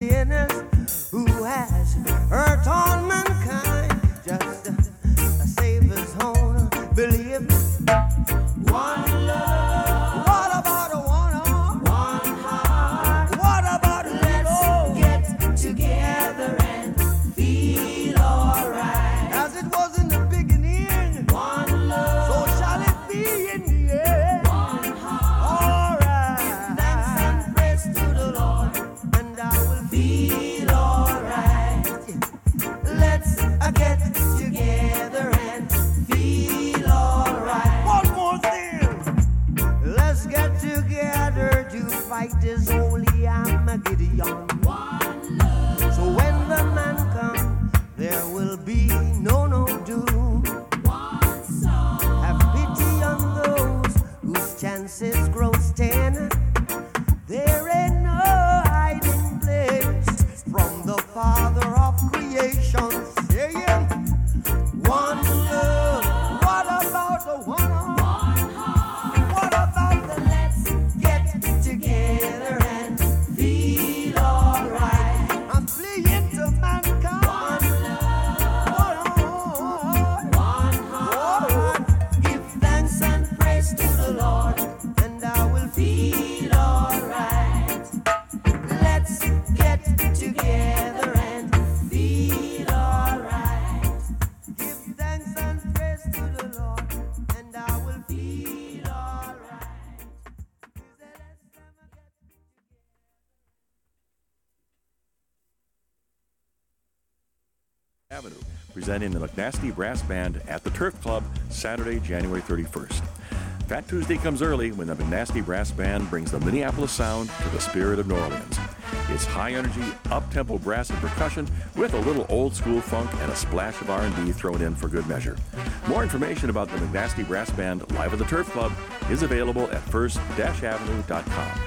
sinners who has hurt all mankind. Just a Savior's own believe. One love. What about a one heart? One heart. What about a Let's get together and feel alright. As it was in the beginning, one love. So shall it be in the end. One heart. Alright. Give thanks and praise to the Lord, and I will feel alright. Let's uh, get together and feel alright. One more thing. Let's get together to fight this holy Armageddon. One love. So when the man comes, there will be no no doom. One song. Have pity on those whose chances grow ten. There ain't no hiding place from the Father of creation. Saying, one love. What about the one heart? What about the let's get together and feel alright? I'm fleeing to mankind. One love. One heart. Give thanks and praise to the Lord, and I will feel alright. Let's get together and feel alright. Give thanks and praise to the Lord, and I will feel alright. Avenue, presenting the McNasty Brass Band at the Turf Club, Saturday, January thirty-first. Fat Tuesday comes early when the McNasty Brass Band brings the Minneapolis sound to the spirit of New Orleans. It's high energy, up-tempo brass and percussion with a little old school funk and a splash of R and B thrown in for good measure. More information about the McNasty Brass Band live at the Turf Club is available at first dash avenue dot com.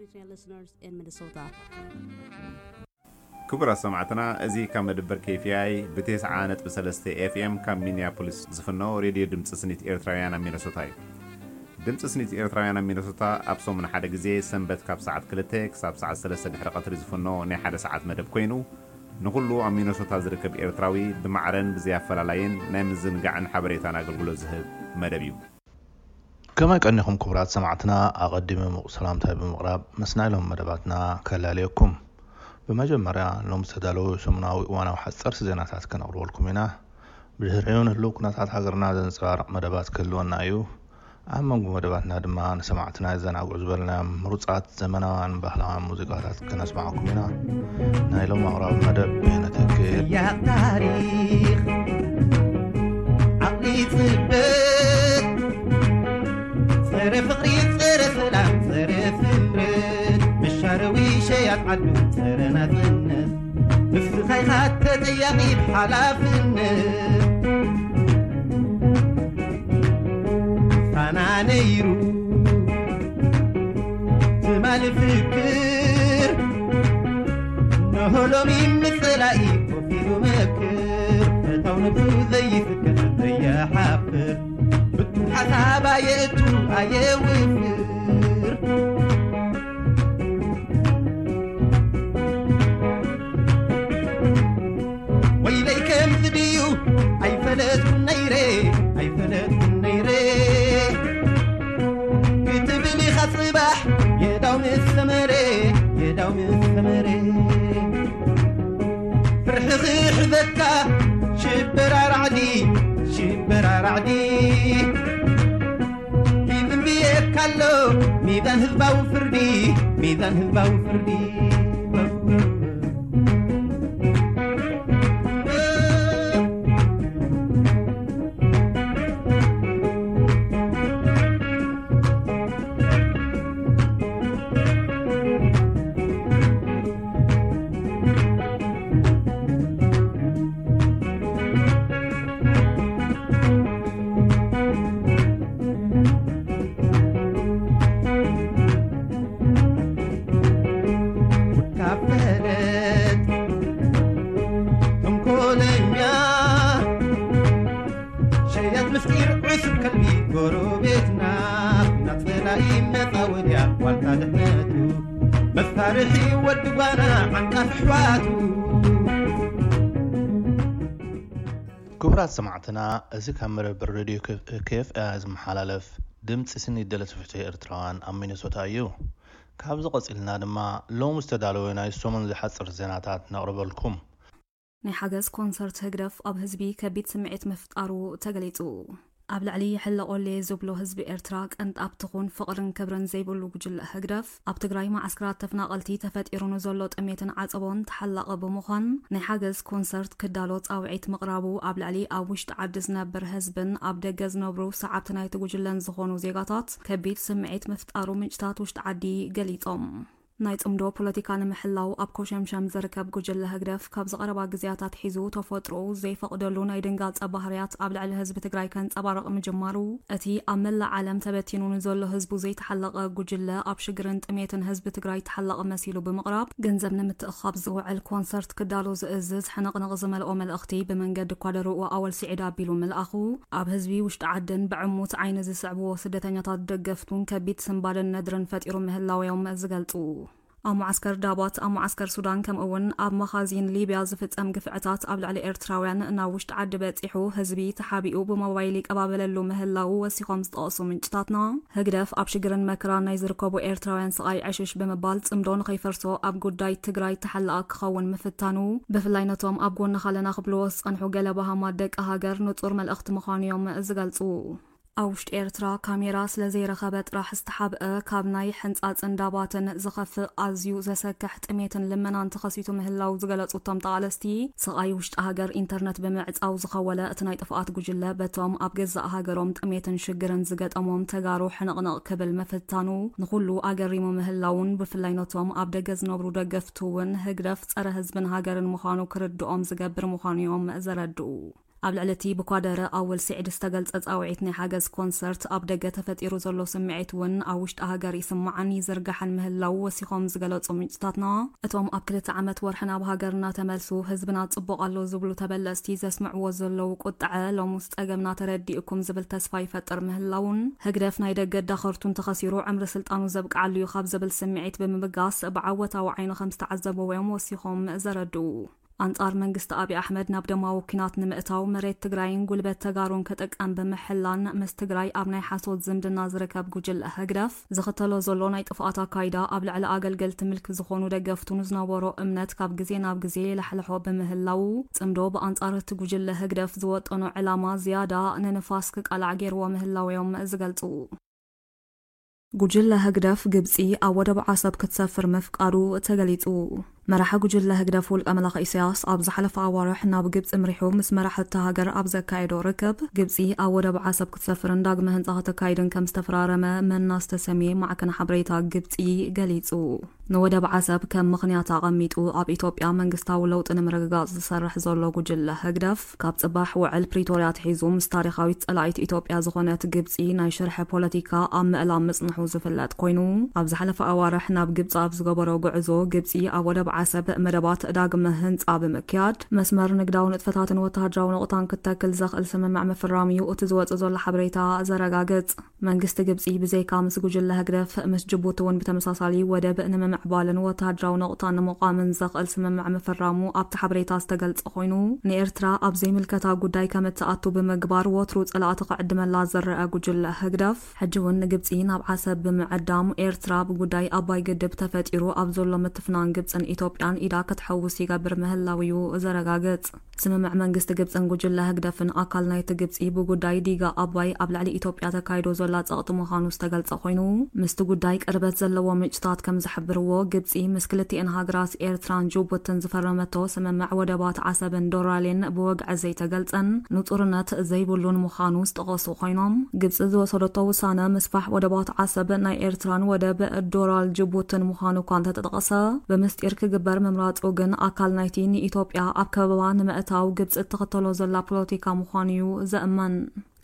Listeners in Minnesota. ክቡራት ሰማዕትና፣ እዚ ካብ መደበር K F I ብ ተስዓ ነጥቢ ሰለስተ F M ካብ ሚኒያፖሊስ ዝፍኖ ሬድዮ ድምፂ ስኒት ኤርትራውያን ኣብ ሚነሶታ እዩ። ድምፂ ስኒት ኤርትራውያን ኣብ ሚነሶታ ኣብ ሰሙን ሓደ ግዜ ሰንበት ካብ ሰዓት ክልተ ክሳብ ሰዓት ሰለስተ ድሕሪ ቀትሪ ዝፍኖ ናይ ሓደ ሰዓት መደብ ኮይኑ፣ ንኹሉ ኣብ ሚነሶታ ዝርከብ ኤርትራዊ ብማዕረን ብዘይ ኣፈላላይን ናይ ምዝንጋዕን ሓበሬታን ኣገልግሎት ዝህብ መደብ እዩ። ከመይ ቀኒኹም ክቡራት ሰማዕትና? ኣቐዲመ ምቕ ሰላምታይ ብምቕራብ ምስ ናይ ሎም መደባትና ከላልየኩም። ብመጀመርያ ሎም ዝተዳለዉ ሰሙናዊ እዋናዊ ሓጸርቲ ዜናታት ከነቕርበልኩም ኢና። ብድሕሪኡ ንህልው ኩነታት ሃገርና ዘንጸባርቕ መደባት ክህልወና እዩ። ኣብ መንጎ መደባትና ድማ ንሰማዕትና የዘናግዑ ዝበልናዮም ምሩጻት ዘመናውያን ባህላውያን ሙዚቃታት ከነስማዓኩም ኢና። ናይ ሎም ኣቕራቢ መደብ ብሄነተክል። ያቕ ታሪኽ ዓቕሊ ጽበት፣ ጸረ ፍቕሪ፣ ጸረ ሰላም፣ ጸረ ስምረት፣ መሻረዊ ሸያት ዓዱ፣ ጸረ ናጽነት፣ ንስኻ ኢኻ ተጠያቒ ብሓላፍነት። ፋና ነይሩ ትማሊ ፍክር፣ ንሆ ሎሚ ምጽላኢ ኮፍ ኢሉ መክር፣ ፈታው ነብሱ ዘይፍክር ዘይሓፍር፣ ብቱም ሓሳብ ኣየእቱ ኣየውፍር። ወይለይ ከምዚ ድዩ ኣይፈለጥኩን ነይረ፣ ኣይፈለጥኩን ነይረ ክትብል ኢኻ ጽባሕ የዳው ምስ ሰመረ፣ የዳው ምስ ሰመረ። ፍርሒ ክሕዘካ ሽበራ ራዕዲ፣ ሽበራ ራዕዲ። ይዝንብየካ ኣሎ ሚዛን ህዝባዊ ፍርዲ፣ ሚዛን ህዝባዊ ፍርዲ። ጉድካ ፈለጥ ተንኮለኛ፣ ሸያጥ ምስጢር ዕሱብ ከልቢ ጎረቤትና፣ ናት ጸላኢ መጻወድያ ዋልታ ድሕነቱ፣ መሳርሒ ወዲ ጓና ዓንቃፊ ኣሕዋቱ። ክቡራት ሰማዕትና፣ እዚ ካብ መደበር ሬድዮ K F I ዝመሓላለፍ ድምፂ ስኒ ደለቲ ፍትሒ ኤርትራውያን ኣብ ሚነሶታ እዩ። ካብዚ ቀፂልና ድማ ሎም ዝተዳለወ ናይ ሰሙን ዝሓፅር ዜናታት ነቕርበልኩም። ናይ ሓገዝ ኮንሰርት ህግደፍ ኣብ ህዝቢ ከቢድ ስምዒት ምፍጣሩ ተገሊጹ። ኣብ ልዕሊ ይሕለቆሌ ዝብሎ ህዝቢ ኤርትራ ቅንጣብ ትኹን ፍቕርን ክብርን ዘይብሉ ጉጅለ ህግደፍ፣ ኣብ ትግራይ መዓስከራት ተፈናቐልቲ ተፈጢሩ ንዘሎ ጥሜትን ዓጸቦን ተሓላቒ ብምዃን ናይ ሓገዝ ኮንሰርት ክዳሎ ጻውዒት ምቕራቡ ኣብ ልዕሊ ኣብ ውሽጢ ዓዲ ዝነብር ህዝብን ኣብ ደገ ዝነብሩ ሰዓብቲ ናይቲ ጉጅለን ዝኾኑ ዜጋታት ከቢድ ስምዒት ምፍጣሩ ምንጭታት ውሽጢ ዓዲ ገሊጾም። ናይ ጽምዶ ፖለቲካ ንምሕላው ኣብ ኮሸምሸም ዝርከብ ጉጅለ ህግደፍ ካብዚ ቀረባ ግዜያት ኣትሒዙ ተፈጥሮኡ ዘይፈቕደሉ ናይ ድንጋጸ ባህርያት ኣብ ልዕሊ ህዝቢ ትግራይ ከንጸባርቕ ምጅማሩ፣ እቲ ኣብ መላእ ዓለም ተበቲኑ ንዘሎ ህዝቡ ዘይተሓለቐ ጉጅለ ኣብ ሽግርን ጥሜትን ህዝቢ ትግራይ ተሓላቒ መሲሉ ብምቕራብ፣ ገንዘብ ንምትእኻብ ዝውዕል ኮንሰርት ክዳሎ ዝእዝዝ ሕንቕንቕ ዝመልኦ መልእኽቲ ብመንገዲ ኳደርኡ ኣወል ስዒድ ኣቢሉ ምልኣኹ፣ ኣብ ህዝቢ ውሽጢ ዓድን ብዕሙት ዓይኒ ዝስዕብዎ ስደተኛታት ደገፍቱን ከቢድ ስንባደን ነድርን ፈጢሩ ምህላውዮም ዝገልጹ። ኣብ መዓስከር ዳባት፣ ኣብ መዓስከር ሱዳን፣ ከምኡ እውን ኣብ መኻዚን ሊብያ ዝፍጸም ግፍዕታት ኣብ ልዕሊ ኤርትራውያን ናብ ውሽጢ ዓዲ በጺሑ፣ ህዝቢ ተሓቢኡ ብሞባይል ይቀባበለሉ ምህላዉ ወሲኾም ዝጠቐሱ ምንጭታትና፣ ህግደፍ ኣብ ሽግርን መከራን ናይ ዝርከቡ ኤርትራውያን ስቓይ ዕሽሽ ብምባል፣ ጽምዶ ንኸይፈርሶ ኣብ ጉዳይ ትግራይ ተሓላቒ ክኸውን ምፍታኑ፣ ብፍላይ ነቶም ኣብ ጎንኻ ኣለና ክብልዎ ዝጸንሑ ገለ ባሃማት ደቂ ሃገር ንጹር መልእኽቲ ምዃኑ እዮም ዝገልጹ። ኣብ ውሽጢ ኤርትራ ካሜራ ስለ ዘይረኸበ ጥራሕ ዝተሓብአ ካብ ናይ ሕንጻጽን ዳባትን ዝኸፍእ ኣዝዩ ዘሰክሕ ጥሜትን ልመናን ተኸሲቱ ምህላው ዝገለጹ እቶም ተቓለስቲ፣ ስቓይ ውሽጢ ሃገር ኢንተርነት ብምዕጻው ዝኸወለ እቲ ናይ ጥፍኣት ጉጅለ በቶም ኣብ ገዛእ ሃገሮም ጥሜትን ሽግርን ዝገጠሞም ተጋሩ ሕንቕንቕ ክብል ምፍታኑ ንኹሉ ኣገሪሙ ምህላውን ብፍላይ ነቶም ኣብ ደገ ዝነብሩ ደገፍቱ እውን ህግደፍ ጸረ ህዝብን ሃገርን ምዃኑ ክርድኦም ዝገብር ምዃኑ እዮም ዘረድኡ። ኣብ ልዕሊ እቲ ብኳደረ ኣወል ስዒድ ዝተገልጸ ጻውዒት ናይ ሓገዝ ኮንሰርት፣ ኣብ ደገ ተፈጢሩ ዘሎ ስምዒት እውን ኣብ ውሽጢ ሃገር ይስማዕን ይዝርጋሕን ምህላው ወሲኾም ዝገለጹ ምንጭታትና፣ እቶም ኣብ ክልተ ዓመት ወርሒ ናብ ሃገር እናተመልሱ ህዝብና ጽቡቕ ኣሎ ዝብሉ ተበለጽቲ ዘስምዕዎ ዘለዉ ቁጥዐ፣ ሎሙስ ጸገምና ተረዲእኩም ዝብል ተስፋ ይፈጥር ምህላውን፣ ህግደፍ ናይ ደገ ዳኸርቱ እንተኸሲሩ ዕምሪ ስልጣኑ ዘብቅዓሉ እዩ ካብ ዝብል ስምዒት ብምብጋስ ብዓወታዊ ዓይኒ ከም ዝተዓዘብዎ እዮም ወሲኾም ዘረድኡ። ኣንጻር መንግስቲ ኣብይ ኣሕመድ ናብ ደማዊ ኲናት ንምእታው መሬት ትግራይን ጉልበት ተጋሩን ክጥቀም ብምሕላን፣ ምስ ትግራይ ኣብ ናይ ሓሶት ዝምድና ዝርከብ ጉጅለ ህግደፍ ዝኽተሎ ዘሎ ናይ ጥፍኣት ኣካይዳ፣ ኣብ ልዕሊ ኣገልገልቲ ምልኪ ዝኾኑ ደገፍቱ ንዝነበሮ እምነት ካብ ግዜ ናብ ግዜ የላሕልሖ ብምህላው፣ ጽምዶ ብኣንጻር እቲ ጉጅለ ህግደፍ ዝወጠኖ ዕላማ ዝያዳ ንንፋስ ክቃላዕ ገይርዎ ምህላው እዮም ዝገልጹ። ጉጅለ ህግደፍ፣ ግብጺ ኣብ ወደብ ዓሰብ ክትሰፍር ምፍቃዱ ተገሊጹ። መራሒ ጉጅለ ህግደፍ ውልቀ መላኺ ኢሳያስ ኣብ ዝሓለፈ ኣዋርሕ ናብ ግብጺ ምሪሑ ምስ መራሕቲ ሃገር ኣብ ዘካየዶ ርክብ፣ ግብጺ ኣብ ወደብ ዓሰብ ክትሰፍርን ዳግመ ህንጻ ከተካይድን ከም ዝተፈራረመ መና ዝተሰምየ ማዕከን ሓበሬታ ግብጺ ገሊጹ። ንወደብ ዓሰብ ከም ምኽንያት ኣቐሚጡ ኣብ ኢትዮጵያ መንግስታዊ ለውጢ ንምርግጋጽ ዝሰርሕ ዘሎ ጉጅለ ህግደፍ፣ ካብ ጽባሕ ውዕል ፕሪቶርያ ኣትሒዙ ምስ ታሪኻዊት ጸላኢት ኢትዮጵያ ዝኾነት ግብጺ ናይ ሽርሒ ፖለቲካ ኣብ ምእላም ምጽንሑ ዝፍለጥ ኮይኑ፣ ኣብ ዝሓለፈ ኣዋርሕ ናብ ግብጺ ኣብ ዝገበሮ ጉዕዞ፣ ግብጺ ኣብ ወደብ ዓሰብ መደባት ዳግመ ህንጻ ብምክያድ፣ መስመር ንግዳዊ ንጥፈታትን ወተሃደራዊ ነቑጣን ክትተክል ዘኽእል ስምምዕ ምፍራም እዩ እቲ ዝወጽእ ዘሎ ሓበሬታ ዘረጋግጽ። መንግስቲ ግብጺ ብዘይካ ምስ ጉጅለ ህግደፍ፣ ምስ ጅቡቲ እውን ብተመሳሳሊ ወደብ ንምምዕባልን ወተሃደራዊ ነቑጣን ንምቋምን ዘኽእል ስምምዕ ምፍራሙ ኣብቲ ሓበሬታ ዝተገልጸ ኮይኑ፣ ንኤርትራ ኣብ ዘይምልከታ ጉዳይ ከም እትኣቱ ብምግባር ወትሩ ጸላእቲ ክዕድመላ ዝረኣ ጉጅለ ህግደፍ፣ ሕጂ እውን ንግብጺ ናብ ዓሰብ ብምዕዳም፣ ኤርትራ ብጉዳይ ኣባይ ግድብ ተፈጢሩ ኣብ ዘሎ ምትፍናን ግብጽን ኢትዮጵያን ኢዳ ክትሕውስ ይገብር ምህላው እዩ ዘረጋግጽ። ስምምዕ መንግስቲ ግብጽን ጉጅለ ህግደፍን ኣካል ናይቲ ግብጺ ብጉዳይ ዲጋ ኣባይ ኣብ ልዕሊ ኢትዮጵያ ተካይዶ ዘላ ጸቕጢ ምዃኑ ዝተገልጸ ኮይኑ፣ ምስቲ ጉዳይ ቅርበት ዘለዎ ምንጭታት ከም ዝሕብርዎ፣ ግብጺ ምስ ክልቲኤን ሃገራት ኤርትራን ጅቡትን ዝፈረመቶ ስምምዕ ወደባት ዓሰብን ዶራሌን ብወግዒ ዘይተገልጸን ንጹርነት ዘይብሉን ምዃኑ ዝጠቐሱ ኮይኖም፣ ግብጺ ዝወሰደቶ ውሳነ ምስፋሕ ወደባት ዓሰብ ናይ ኤርትራን ወደብ ዶራል ጅቡትን ምዃኑ እኳ እንተተጠቐሰ፣ ብምስጢር ክግበር ምምራጹ ግን ኣካል ናይቲ ንኢትዮጵያ ኣብ ከበባ ንምእታው ግብጺ እትኽተሎ ዘላ ፖለቲካ ምዃኑ እዩ ዘእመን።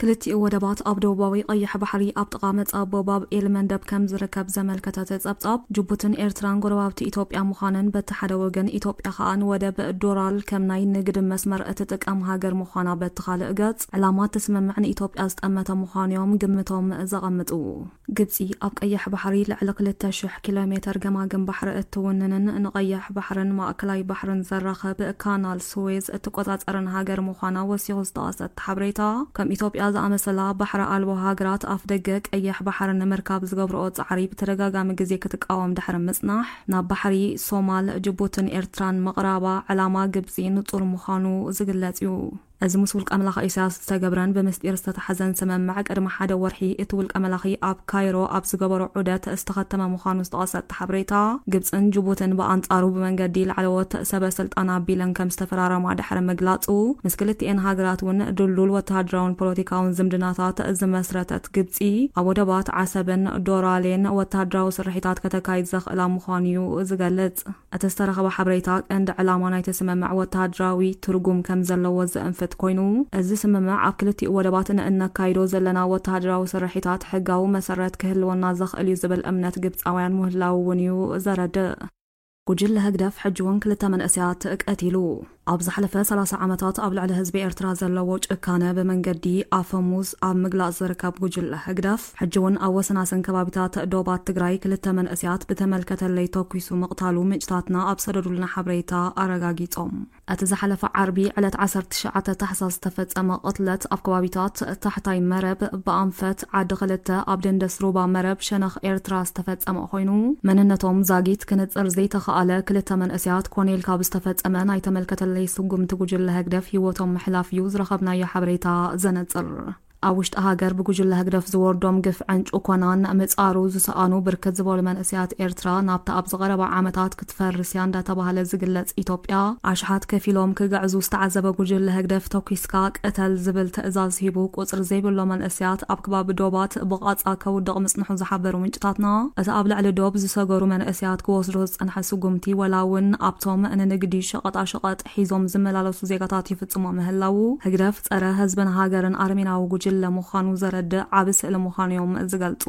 ክልቲኡ ወደባት ኣብ ደቡባዊ ቀይሕ ባሕሪ ኣብ ጥቓ መጻቦ ባብ ኤል መንደብ ከም ዝርከብ ዘመልከተ እቲ ጸብጻብ፣ ጅቡትን ኤርትራን ጎረባብቲ ኢትዮጵያ ምዃነን፣ በቲ ሓደ ወገን ኢትዮጵያ ከኣ ንወደብ ዶራል ከም ናይ ንግዲ መስመር እትጥቀም ሃገር ምዃና በቲ ካልእ ገጽ፣ ዕላማ እቲ ስምምዕ ንኢትዮጵያ ዝጠመተ ምዃኑ እዮም ግምቶም ዘቐምጡ። ግብጺ ኣብ ቀይሕ ባሕሪ ልዕሊ ክልተ ሽሕ ኪሎ ሜተር ገማግም ባሕሪ እትውንንን ንቀይሕ ባሕርን ማእከላይ ባሕርን ዘራኽብ ካናል ስዌዝ እትቆጻጸርን ሃገር ምዃና ወሲኹ ዝጠቐሰ እቲ ሓበሬታ፣ ከም ኢትዮጵያ ዝኣመሰላ ባሕሪ ኣልቦ ሃገራት ኣፍ ደገ ቀይሕ ባሕሪ ንምርካብ ዝገብርኦ ጻዕሪ ብተደጋጋሚ ግዜ ክትቃወም ድሕሪ ምጽናሕ፣ ናብ ባሕሪ ሶማል፣ ጅቡትን ኤርትራን ምቕራባ ዕላማ ግብጺ ንጹር ምዃኑ ዝግለጽ እዩ። እዚ ምስ ውልቀ መላኺ ኢሳያስ ዝተገብረን ብምስጢር ዝተታሕዘን ስምምዕ፣ ቅድሚ ሓደ ወርሒ እቲ ውልቀ መላኺ ኣብ ካይሮ ኣብ ዝገበሮ ዑደት ዝተኸተመ ምዃኑ ዝጠቐሰ እቲ ሓበሬታ፣ ግብጽን ጅቡትን ብኣንጻሩ ብመንገዲ ላዕለዎት ሰበ ስልጣን ኣቢለን ከም ዝተፈራረማ ድሕሪ ምግላጹ፣ ምስ ክልቲኤን ሃገራት እውን ድልዱል ወተሃደራውን ፖለቲካውን ዝምድናታት ዝመስረተት ግብጺ፣ ኣብ ወደባት ዓሰብን ዶራሌን ወተሃደራዊ ስርሒታት ከተካይድ ዘኽእላ ምዃኑ እዩ ዝገልጽ። እቲ ዝተረኸበ ሓበሬታ፣ ቀንዲ ዕላማ ናይቲ ስምምዕ ወተሃደራዊ ትርጉም ከም ዘለዎ ዘእንፍት ኮይኑ፣ እዚ ስምምዕ ኣብ ክልቲኡ ወደባት ንእነካይዶ ዘለና ወተሃደራዊ ስርሒታት ሕጋዊ መሰረት ክህልወና ዘኽእል እዩ ዝብል እምነት ግብጻውያን ምህላዉ እውን እዩ ዘረድእ። ጉጅለ ህግደፍ ሕጂ እውን ክልተ መንእሰያት ቀቲሉ። ኣብ ዝሓለፈ ሰላሳ ዓመታት ኣብ ልዕሊ ህዝቢ ኤርትራ ዘለዎ ጭካነ ብመንገዲ ኣፈሙዝ ኣብ ምግላጽ ዝርከብ ጉጅለ ህግደፍ፣ ሕጂ እውን ኣብ ወሰናስን ከባቢታት ዶባት ትግራይ ክልተ መንእሰያት ብተመልከተለይ ተኲሱ ምቕታሉ ምንጭታትና ኣብ ሰደዱልና ሓበሬታ ኣረጋጊጾም። እቲ ዝሓለፈ ዓርቢ ዕለት ዓሰርተ ትሽዓተ ታሕሳስ ዝተፈጸመ ቅትለት ኣብ ከባቢታት ታሕታይ መረብ፣ ብኣንፈት ዓዲ ክልተ፣ ኣብ ደንደስ ሩባ መረብ ሸነኽ ኤርትራ ዝተፈጸመ ኮይኑ፣ መንነቶም ዛጊት ክንጽር ዘይተኻእለ ክልተ መንእሰያት ኮኔል ካብ ዝተፈጸመ ናይ ተመልከተለይ ስጉምቲ ጉጅለ ህግደፍ ህይወቶም ምሕላፍ እዩ ዝረኸብናዮ ሓበሬታ ዘነጽር። ኣብ ውሽጢ ሃገር ብጉጅለ ህግደፍ ዝወርዶም ግፍዕን ጭቆናን ምጻሩ ዝሰኣኑ ብርክት ዝበሉ መንእሰያት ኤርትራ፣ ናብታ ኣብዚ ቀረባ ዓመታት ክትፈርስ እያ እንዳተባህለ ዝግለጽ ኢትዮጵያ፣ ኣሽሓት ከፊሎም ክግዕዙ ዝተዓዘበ ጉጅለ ህግደፍ፣ "ተኲስካ ቅተል" ዝብል ትእዛዝ ሂቡ ቁጽሪ ዘይብሎ መንእሰያት ኣብ ከባቢ ዶባት ብቓጻ ከውድቕ ምጽንሑ ዝሓበሩ ምንጭታትና፣ እቲ ኣብ ልዕሊ ዶብ ዝሰገሩ መንእሰያት ክወስዶ ዝጸንሐ ስጉምቲ፣ ወላ እውን ኣብቶም ንንግዲ ሸቐጣሸቐጥ ሒዞም ዝመላለሱ ዜጋታት ይፍጽሞ ምህላዉ፣ ህግደፍ ጸረ ህዝብን ሃገርን ኣረሜናዊ ጉጅለ ምዃኑ ዘረድእ ዓቢ ስእሊ ምዃኑ እዮም ዝገልጹ።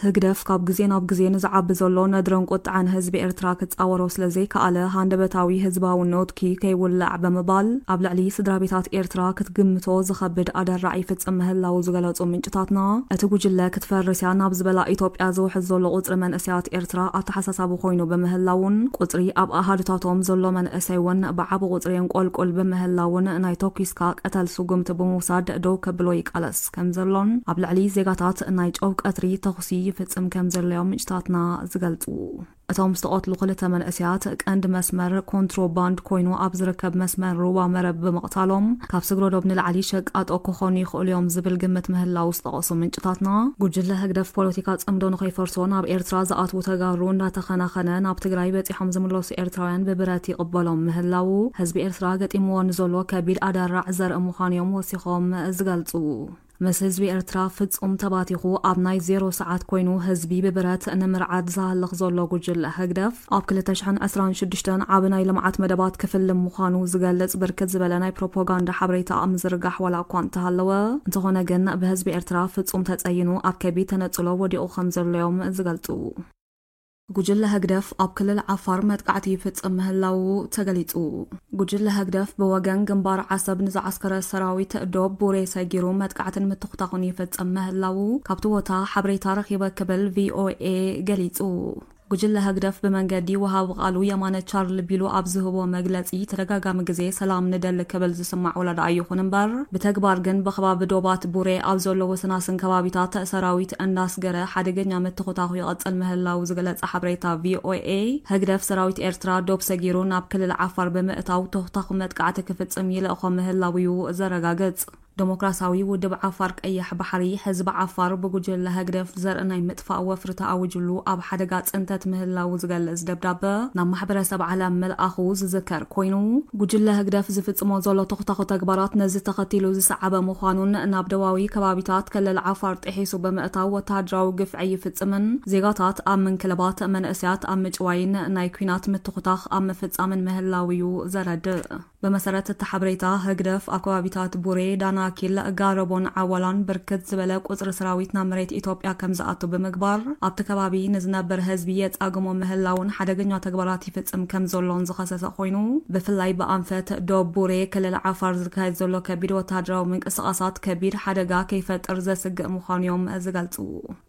ህግደፍ ካብ ግዜ ናብ ግዜ ንዝዓቢ ዘሎ ነድርን ቁጥዐን ህዝቢ ኤርትራ ክጻወሮ ስለ ዘይከኣለ፣ ሃንደበታዊ ህዝባዊ ኖትኪ ከይውላዕ ብምባል፣ ኣብ ልዕሊ ስድራ ቤታት ኤርትራ ክትግምቶ ዝኸብድ ኣደራዕ ይፍጽም ምህላዉ ዝገለጹ ምንጭታትና፣ እቲ ጉጅለ ክትፈርስ እያ ናብ ዝበላ ኢትዮጵያ ዝውሕዝ ዘሎ ቁጽሪ መንእሰያት ኤርትራ ኣተሓሳሳቢ ኮይኑ ብምህላዉን፣ ቁጽሪ ኣብ ኣሃዱታቶም ዘሎ መንእሰይ እውን ብዓቢ ቁጽሪ የንቆልቁል ብምህላዉን፣ ናይ ተኲስካ ቅተል ስጉምቲ ብምውሳድ ደው ከብሎ ይቃለስ ከም ዘሎን፣ ኣብ ልዕሊ ዜጋታት ናይ ጨው ቀትሪ ተኹሲ ይፍጽም ከም ዘለዮም ምንጭታትና ዝገልጹ። እቶም ዝተቐትሉ ክልተ መንእሰያት፣ ቀንዲ መስመር ኮንትሮባንድ ኮይኑ ኣብ ዝርከብ መስመር ሩባ መረብ ብምቕታሎም፣ ካብ ስግረ ዶብ ንላዕሊ ሸቃጦ ክኾኑ ይኽእሉ እዮም ዝብል ግምት ምህላው ዝጠቐሱ ምንጭታትና፣ ጉጅለ ህግደፍ ፖለቲካ ጽምዶ ንኸይፈርሶ ናብ ኤርትራ ዝኣትዉ ተጋሩ እንዳተኸናኸነ፣ ናብ ትግራይ በጺሖም ዝምለሱ ኤርትራውያን ብብረት ይቕበሎም ምህላው፣ ህዝቢ ኤርትራ ገጢምዎ ንዘሎ ከቢድ ኣደራዕ ዘርኢ ምዃኑ እዮም ወሲኾም ዝገልጹ። ምስ ህዝቢ ኤርትራ ፍጹም ተባቲኹ ኣብ ናይ ዜሮ ሰዓት ኮይኑ ህዝቢ ብብረት ንምርዓድ ዝሃልኽ ዘሎ ጉጅለ ህግደፍ፣ ኣብ ክልተ ሽሕን ዕስራን ሽዱሽተን ዓቢ ናይ ልምዓት መደባት ክፍልም ምዃኑ ዝገልጽ ብርክት ዝበለ ናይ ፕሮፓጋንዳ ሓበሬታ ኣብ ምዝርጋሕ ዋላ እኳ እንተሃለወ፣ እንተኾነ ግን ብህዝቢ ኤርትራ ፍጹም ተጸይኑ ኣብ ከቢድ ተነጽሎ ወዲቑ ከም ዘሎ እዮም ዝገልጹ። ጉጅለ ህግደፍ ኣብ ክልል ዓፋር መጥቃዕቲ ይፍጽም ምህላዉ ተገሊጹ። ጉጅለ ህግደፍ ብወገን ግንባር ዓሰብ ንዝዓስከረ ሰራዊት ዶብ ቡሬ ሰጊሩ መጥቃዕትን ምትኹታኹን ይፍጽም ምህላዉ ካብቲ ቦታ ሓበሬታ ረኺበ ክብል ቪኦኤ ገሊጹ። ጉጅለ ህግደፍ ብመንገዲ ወሃቢ ቃሉ የማነ ቻርል ቢሉ ኣብ ዝህቦ መግለጺ ተደጋጋሚ ግዜ ሰላም ንደሊ ክብል ዝስማዕ ወላ ደኣ ይኹን እምበር፣ ብተግባር ግን ብከባቢ ዶባት ቡሬ ኣብ ዘሎ ወሰናስን ከባቢታት ሰራዊት እንዳስገረ ሓደገኛ ምትኹታኹ ይቐጽል ምህላው ዝገለጸ ሓበሬታ ቪኦኤ፣ ህግደፍ ሰራዊት ኤርትራ ዶብ ሰጊሩ ናብ ክልል ዓፋር ብምእታው ተኹታኹ መጥቃዕቲ ክፍጽም ይልእኾ ምህላው እዩ ዘረጋግጽ። ዴሞክራሲያዊ ውድብ ዓፋር ቀይሕ ባሕሪ፣ ህዝቢ ዓፋር ብጉጅለ ህግደፍ ዘርኢ ናይ ምጥፋእ ወፍሪ ተኣዊጅሉ ኣብ ሓደጋ ጽንተት ምህላው ዝገልጽ ደብዳበ ናብ ማሕበረሰብ ዓለም ምልኣኹ ዝዝከር ኮይኑ፣ ጉጅለ ህግደፍ ዝፍጽሞ ዘሎ ተኹታኹ ተግባራት ነዚ ተኸቲሉ ዝሰዓበ ምዃኑን ናብ ደቡባዊ ከባቢታት ክልል ዓፋር ጥሒሱ ብምእታው ወተሃደራዊ ግፍዒ ይፍጽምን ዜጋታት ኣብ ምንክልባት፣ መንእሰያት ኣብ ምጭዋይን ናይ ኲናት ምትኹታኽ ኣብ ምፍጻምን ምህላው እዩ ዘረድእ። ብመሰረት እቲ ሓበሬታ፣ ህግደፍ ኣብ ከባቢታት ቡሬ፣ ዳናኪል፣ ጋረቦን ዓዋላን ብርክት ዝበለ ቁጽሪ ሰራዊት ናብ መሬት ኢትዮጵያ ከም ዝኣቱ ብምግባር፣ ኣብቲ ከባቢ ንዝነብር ህዝቢ የጻግሞ ምህላውን ሓደገኛ ተግባራት ይፍጽም ከም ዘሎን ዝኸሰሰ ኮይኑ፣ ብፍላይ ብኣንፈት ዶብ ቡሬ ክልል ዓፋር ዝካየድ ዘሎ ከቢድ ወተሃደራዊ ምንቅስቓሳት ከቢድ ሓደጋ ከይፈጥር ዘስግእ ምዃኑ እዮም ዝገልጹ።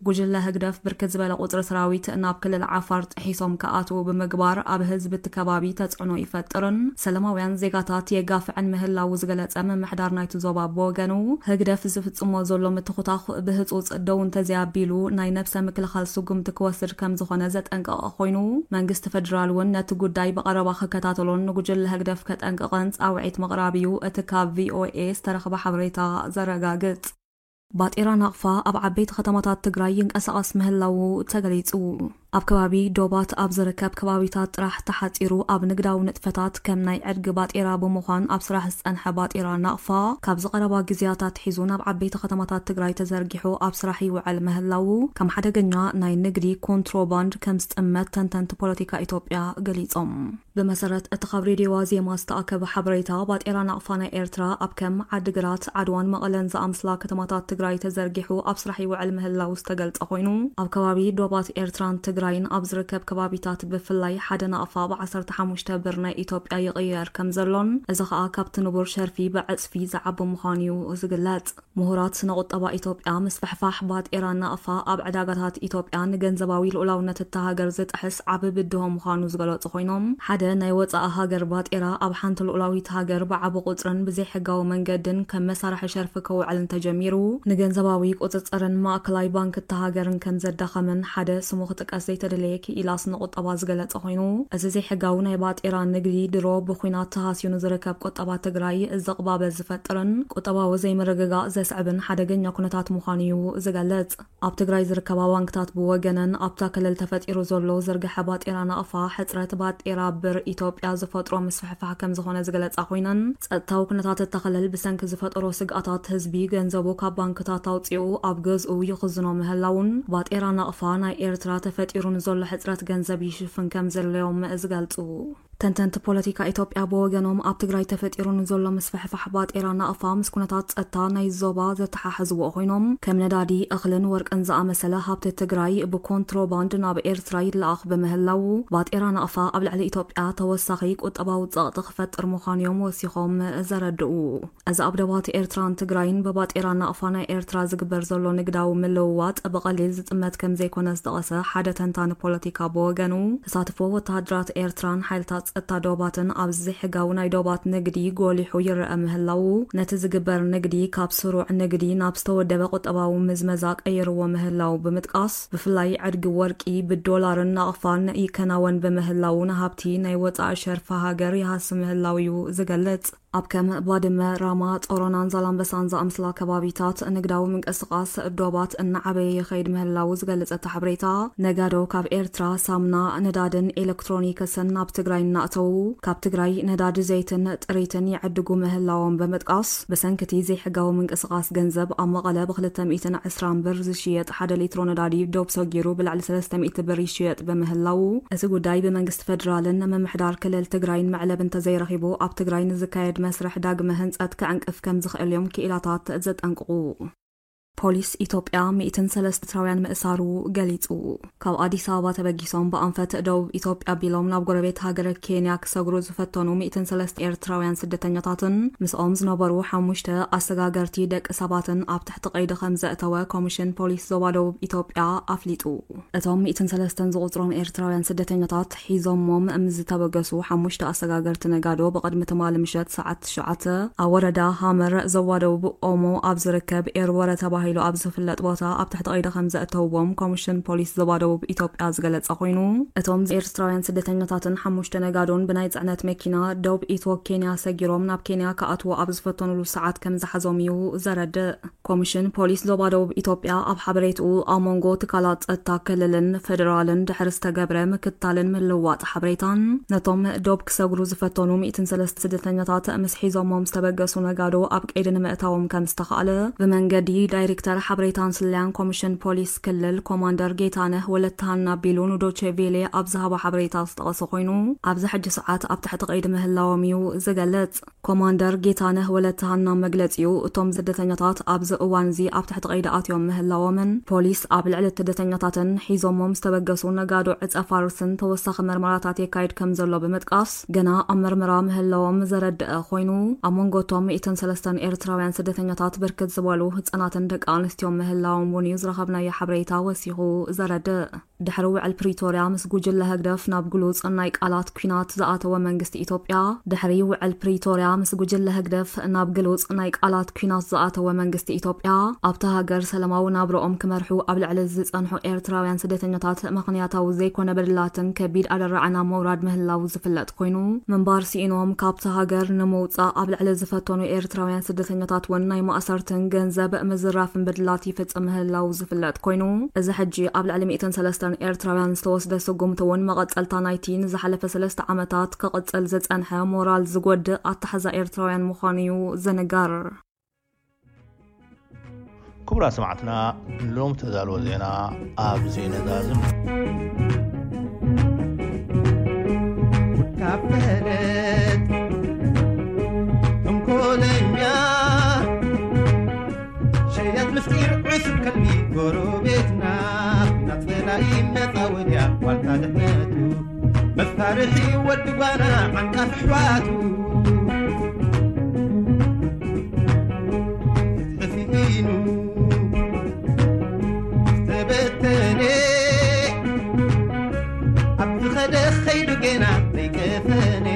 ጉጅለ ህግደፍ ብርክት ዝበለ ቁጽሪ ሰራዊት ናብ ክልል ዓፋር ጥሒሶም ክኣትዉ ብምግባር ኣብ ህዝቢ እቲ ከባቢ ተጽዕኖ ይፈጥርን ሰላማውያን ዜጋታት የጋፍዕን ምህላዉ ዝገለጸ ምምሕዳር ናይቲ ዞባ ብወገኑ፣ ህግደፍ ዝፍጽሞ ዘሎ ምትኹታኹ ብህጹጽ ደው እንተዘይኣቢሉ ናይ ነብሰ ምክልኻል ስጉምቲ ክወስድ ከም ዝኾነ ዘጠንቀቐ ኮይኑ፣ መንግስቲ ፈደራል እውን ነቲ ጉዳይ ብቐረባ ክከታተሎን ንጉጅለ ህግደፍ ከጠንቅቕን ጻውዒት ምቕራብ እዩ እቲ ካብ ቪኦኤ ዝተረኽበ ሓበሬታ ዘረጋግጽ። ባጤራ ናቕፋ ኣብ ዓበይቲ ከተማታት ትግራይ ይንቀሳቐስ ምህላዉ ተገሊጹ። ኣብ ከባቢ ዶባት ኣብ ዝርከብ ከባቢታት ጥራሕ ተሓጺሩ ኣብ ንግዳዊ ንጥፈታት ከም ናይ ዕድጊ ባጤራ ብምዃን ኣብ ስራሕ ዝጸንሐ ባጤራ ናቕፋ፣ ካብዚ ቀረባ ግዜያት ኣትሒዙ ናብ ዓበይቲ ከተማታት ትግራይ ተዘርጊሑ ኣብ ስራሕ ይውዕል ምህላዉ ከም ሓደገኛ ናይ ንግዲ ኮንትሮባንድ ከም ዝጥመት ተንተንቲ ፖለቲካ ኢትዮጵያ ገሊጾም። ብመሰረት እቲ ካብ ሬድዮ ዋዜማ ዝተኣከበ ሓበሬታ፣ ባጤራ ናቕፋ ናይ ኤርትራ ኣብ ከም ዓዲግራት፣ ዓድዋን መቐለን ዝኣምስላ ከተማታት ትግራይ ተዘርጊሑ ኣብ ስራሕ ይውዕል ምህላው ዝተገልጸ ኮይኑ፣ ኣብ ከባቢ ዶባት ኤርትራን ትግራይን ኣብ ዝርከብ ከባቢታት ብፍላይ ሓደ ናቕፋ ብ ዓሰርተ ሓሙሽተ ብር ናይ ኢትዮጵያ ይቕየር ከም ዘሎን፣ እዚ ኸኣ ካብቲ ንቡር ሸርፊ ብዕጽፊ ዝዓቢ ምዃኑ እዩ ዝግለጽ። ምሁራት ስነ ቁጠባ ኢትዮጵያ፣ ምስፍሕፋሕ ባጤራ ናቕፋ ኣብ ዕዳጋታት ኢትዮጵያ ንገንዘባዊ ልኡላውነት እታ ሃገር ዝጥሕስ ዓቢ ብድሆ ምዃኑ ዝገለጹ ኮይኖም፣ ሓደ ናይ ወጻኢ ሃገር ባጤራ ኣብ ሓንቲ ልኡላዊት ሃገር ብዓቢ ቁጽርን ብዘይሕጋዊ መንገድን ከም መሳርሒ ሸርፊ ክውዕል እንተጀሚሩ፣ ንገንዘባዊ ቁጽጽርን ማእከላይ ባንክ እታ ሃገርን ከም ዘዳኸምን ሓደ ስሙ ክጥቀስ ዘይተደለየ ክኢላስ ንቁጠባ ዝገለጸ ኮይኑ፣ እዚ ዘይሕጋዊ ናይ ባጤራ ንግዲ ድሮ ብኹናት ተሃስዩ ንዝርከብ ቁጠባ ትግራይ ዝቕባበ ዝፈጥርን ቁጠባዊ ዘይምርግጋእ ዘስዕብን ሓደገኛ ኩነታት ምዃኑ እዩ ዝገልጽ። ኣብ ትግራይ ዝርከባ ባንክታት ብወገነን ኣብታ ክልል ተፈጢሩ ዘሎ ዝርግሐ ባጤራ ናቕፋ ሕጽረት ባጤራ ብር ኢትዮጵያ ዝፈጥሮ ምስፍሕፋሕ ከም ዝኾነ ዝገለጻ ኮይነን፣ ጸጥታዊ ኩነታት እታ ክልል ብሰንኪ ዝፈጠሮ ስግኣታት ህዝቢ ገንዘቡ ካብ ባንክታት ኣውጺኡ ኣብ ገዝኡ ይኽዝኖ ምህላውን ባጤራ ናቕፋ ናይ ኤርትራ ተፈጢሩ ንዘሎ ሕጽረት ገንዘብ ይሽፍን ከም ዘድለዮም ዝገልጹ። ተንተንቲ ፖለቲካ ኢትዮጵያ ብወገኖም ኣብ ትግራይ ተፈጢሩ ንዘሎ ምስፍሕፋሕ ባጤራ ናቕፋ ምስ ኩነታት ጸጥታ ናይ ዞባ ዘተሓሕዝዎ ኮይኖም፣ ከም ነዳዲ፣ እኽልን ወርቅን ዝኣመሰለ ሃብቲ ትግራይ ብኮንትሮባንድ ናብ ኤርትራ ይለኣኽ ብምህላው፣ ባጤራ ናቕፋ ኣብ ልዕሊ ኢትዮጵያ ተወሳኺ ቁጠባዊ ጸቕጢ ክፈጥር ምዃኑ እዮም ወሲኾም ዘረድኡ። እዚ ኣብ ደባት ኤርትራን ትግራይን ብባጤራ ናቕፋ ናይ ኤርትራ ዝግበር ዘሎ ንግዳዊ ምልውዋጥ ብቐሊል ዝጥመት ከም ዘይኮነ ዝጠቐሰ ሓደ ተንታኒ ፖለቲካ ብወገኑ፣ ተሳትፎ ወተሃደራት ኤርትራን ሓይልታት ጸጥታ ዶባትን ኣብዚ ዘይሕጋዊ ናይ ዶባት ንግዲ ጎሊሑ ይረአ ምህላው፣ ነቲ ዝግበር ንግዲ ካብ ስሩዕ ንግዲ ናብ ዝተወደበ ቁጠባዊ ምዝመዛ ቀይርዎ ምህላው ብምጥቃስ፣ ብፍላይ ዕድጊ ወርቂ ብዶላርን ናቕፋን ይከናወን ብምህላው፣ ንሃብቲ ናይ ወጻኢ ሸርፊ ሃገር ይሃሲ ምህላው እዩ ዝገልጽ። ኣብ ከም ባድመ፣ ራማ፣ ጾሮናን ዛላምበሳን ዝኣምስላ ከባቢታት ንግዳዊ ምንቅስቓስ ዶባት እናዓበየ ይኸይድ ምህላው ዝገልጽ እቲ ሓበሬታ፣ ነጋዶ ካብ ኤርትራ ሳምና፣ ነዳድን ኤሌክትሮኒክስን ናብ ትግራይ እናእተዉ፣ ካብ ትግራይ ነዳዲ ዘይትን ጥሪትን ይዕድጉ ምህላዎም ብምጥቃስ፣ ብሰንኪ እቲ ዘይሕጋዊ ምንቅስቓስ ገንዘብ ኣብ መቐለ ብክልተ ሚእትን ዕስራን ብር ዝሽየጥ ሓደ ሊትሮ ነዳዲ ዶብ ሰጊሩ ብልዕሊ ሰለስተ ሚእቲ ብር ይሽየጥ ብምህላው፣ እቲ ጉዳይ ብመንግስቲ ፌደራልን ምምሕዳር ክልል ትግራይን መዕለቢ እንተዘይረኺቡ፣ ኣብ ትግራይ ንዝካየድ መስርሕ ዳግመ ህንጸት ክዕንቅፍ ከም ዝኽእል እዮም ክኢላታት ዘጠንቅቑ። ፖሊስ ኢትዮጵያ ሚእትን ሰለስተ ኤርትራውያን ምእሳሩ ገሊጹ። ካብ ኣዲስ ኣበባ ተበጊሶም ብኣንፈት ደቡብ ኢትዮጵያ ኣቢሎም ናብ ጎረቤት ሃገር ኬንያ ክሰግሩ ዝፈተኑ ሚእትን ሰለስተ ኤርትራውያን ስደተኛታትን ምስኦም ዝነበሩ ሓሙሽተ ኣሰጋገርቲ ደቂ ሰባትን ኣብ ትሕቲ ቀይዲ ከም ዘእተወ ኮሚሽን ፖሊስ ዞባ ደቡብ ኢትዮጵያ ኣፍሊጡ። እቶም ሚእትን ሰለስተን ዝቑጽሮም ኤርትራውያን ስደተኛታት ሒዞሞም ምስ ዝተበገሱ ሓሙሽተ ኣሰጋገርቲ ነጋዶ ብቕድሚ ትማሊ ምሸት ሰዓት ትሽዓተ ኣብ ወረዳ ሃመር ዞባ ደቡብ ኦሞ ኣብ ዝርከብ ኤርወረ ተባሂሉ ኣብ ዝፍለጥ ቦታ ኣብ ትሕቲ ቀይዲ ከም ዘእተውዎም ኮሚሽን ፖሊስ ዞባ ደቡብ ኢትዮጵያ ዝገለጸ ኮይኑ፣ እቶም ኤርትራውያን ስደተኛታትን ሓሙሽተ ነጋዶን ብናይ ጽዕነት መኪና ደቡብ ኢትዮ ኬንያ ሰጊሮም ናብ ኬንያ ክኣትዉ ኣብ ዝፈተኑሉ ሰዓት ከም ዝሓዞም እዩ ዘረድእ። ኮሚሽን ፖሊስ ዞባ ደቡብ ኢትዮጵያ ኣብ ሓበሬትኡ፣ ኣብ መንጎ ትካላት ጸጥታ ክልልን ፌደራልን ድሕሪ ዝተገብረ ምክትታልን ምልውዋጥ ሓበሬታን፣ ነቶም ዶብ ክሰግሩ ዝፈተኑ ሚእትን ሰለስተ ስደተኛታት ምስ ሒዞሞም ዝተበገሱ ነጋዶ ኣብ ቀይዲ ንምእታዎም ከም ዝተኻእለ ብመንገዲ ዳይሬክተር ሓበሬታን ስለያን ኮሚሽን ፖሊስ ክልል ኮማንደር ጌታነህ ወለተሃና ቢሉ ንዶቼ ቬሌ ኣብ ዝሃቦ ሓበሬታ ዝጠቐሰ ኮይኑ፣ ኣብዚ ሕጂ ሰዓት ኣብ ትሕቲ ቀይዲ ምህላዎም እዩ ዝገልጽ። ኮማንደር ጌታነህ ወለተሃና መግለጺኡ፣ እቶም ስደተኛታት ኣብዚ እዋን እዚ ኣብ ትሕቲ ቀይዲ ኣትዮም ምህላዎምን ፖሊስ ኣብ ልዕሊ ስደተኛታትን ሒዞሞም ዝተበገሱ ነጋዶ ዕጸ ፋርስን ተወሳኺ መርመራታት የካይድ ከም ዘሎ ብምጥቃስ፣ ገና ኣብ መርመራ ምህላዎም ዘረድአ ኮይኑ፣ ኣብ መንጎ እቶም ሚእትን ሰለስተን ኤርትራውያን ስደተኛታት ብርክት ዝበሉ ህጻናትን ደቂ ኣንስትዮን ምህላዎም እውን እዩ ዝረኸብናዮ ሓበሬታ ወሲኹ ዘረድእ። ድሕሪ ውዕል ፕሪቶርያ ምስ ጉጅለ ህግደፍ ናብ ግሉጽ ናይ ቃላት ኲናት ዝኣተወ መንግስቲ ኢትዮጵያ፣ ድሕሪ ውዕል ፕሪቶርያ ምስ ጉጅለ ህግደፍ ናብ ግሉጽ ናይ ቃላት ኲናት ዝኣተወ መንግስቲ ኢትዮጵያ፣ ኣብታ ሃገር ሰላማዊ ናብረኦም ክመርሑ ኣብ ልዕሊ ዝጸንሑ ኤርትራውያን ስደተኛታት ምኽንያታዊ ዘይኮነ በደላትን ከቢድ ኣደራዕና ምውራድ ምህላው ዝፍለጥ ኮይኑ፣ ምንባር ስኢኖም ካብታ ሃገር ንምውጻእ ኣብ ልዕሊ ዝፈተኑ ኤርትራውያን ስደተኛታት እውን ናይ ማእሰርትን ገንዘብ ምዝራፍን በደላት ይፍጽም ምህላው ዝፍለጥ ኮይኑ፣ እዚ ሕጂ ኣብ ልዕሊ ሚእትን ሰለስተን ኤርትራውያን ዝተወስደ ስጉምቲ እውን መቐጸልታ ናይቲ ንዝሓለፈ ሰለስተ ዓመታት ክቕጽል ዝጸንሐ ሞራል ዝጎድእ ኣተሓዛ ኤርትራውያን ምዃኑ እዩ ዝንገር። ክቡራት ሰማዕትና፣ ንሎም ተዳልወ ዜና ኣብዚ ነዛዝም። ካፈለት ተንኮለኛ ሸያት ምስጢር ዕሱብ ከልቢ ጎረቤትና፣ ናት ጸላኢ መጻወድያ ዋልታ ድሕነቱ፣ መሳርሒ ወዲ ጓና ዓንቃፊ ኣሕዋቱ። ፍትሒ ስኢኑ ዝተበተነ፣ ኣብ ዝኸደ ኸይዱ ጌና ዘይቀፈነ፣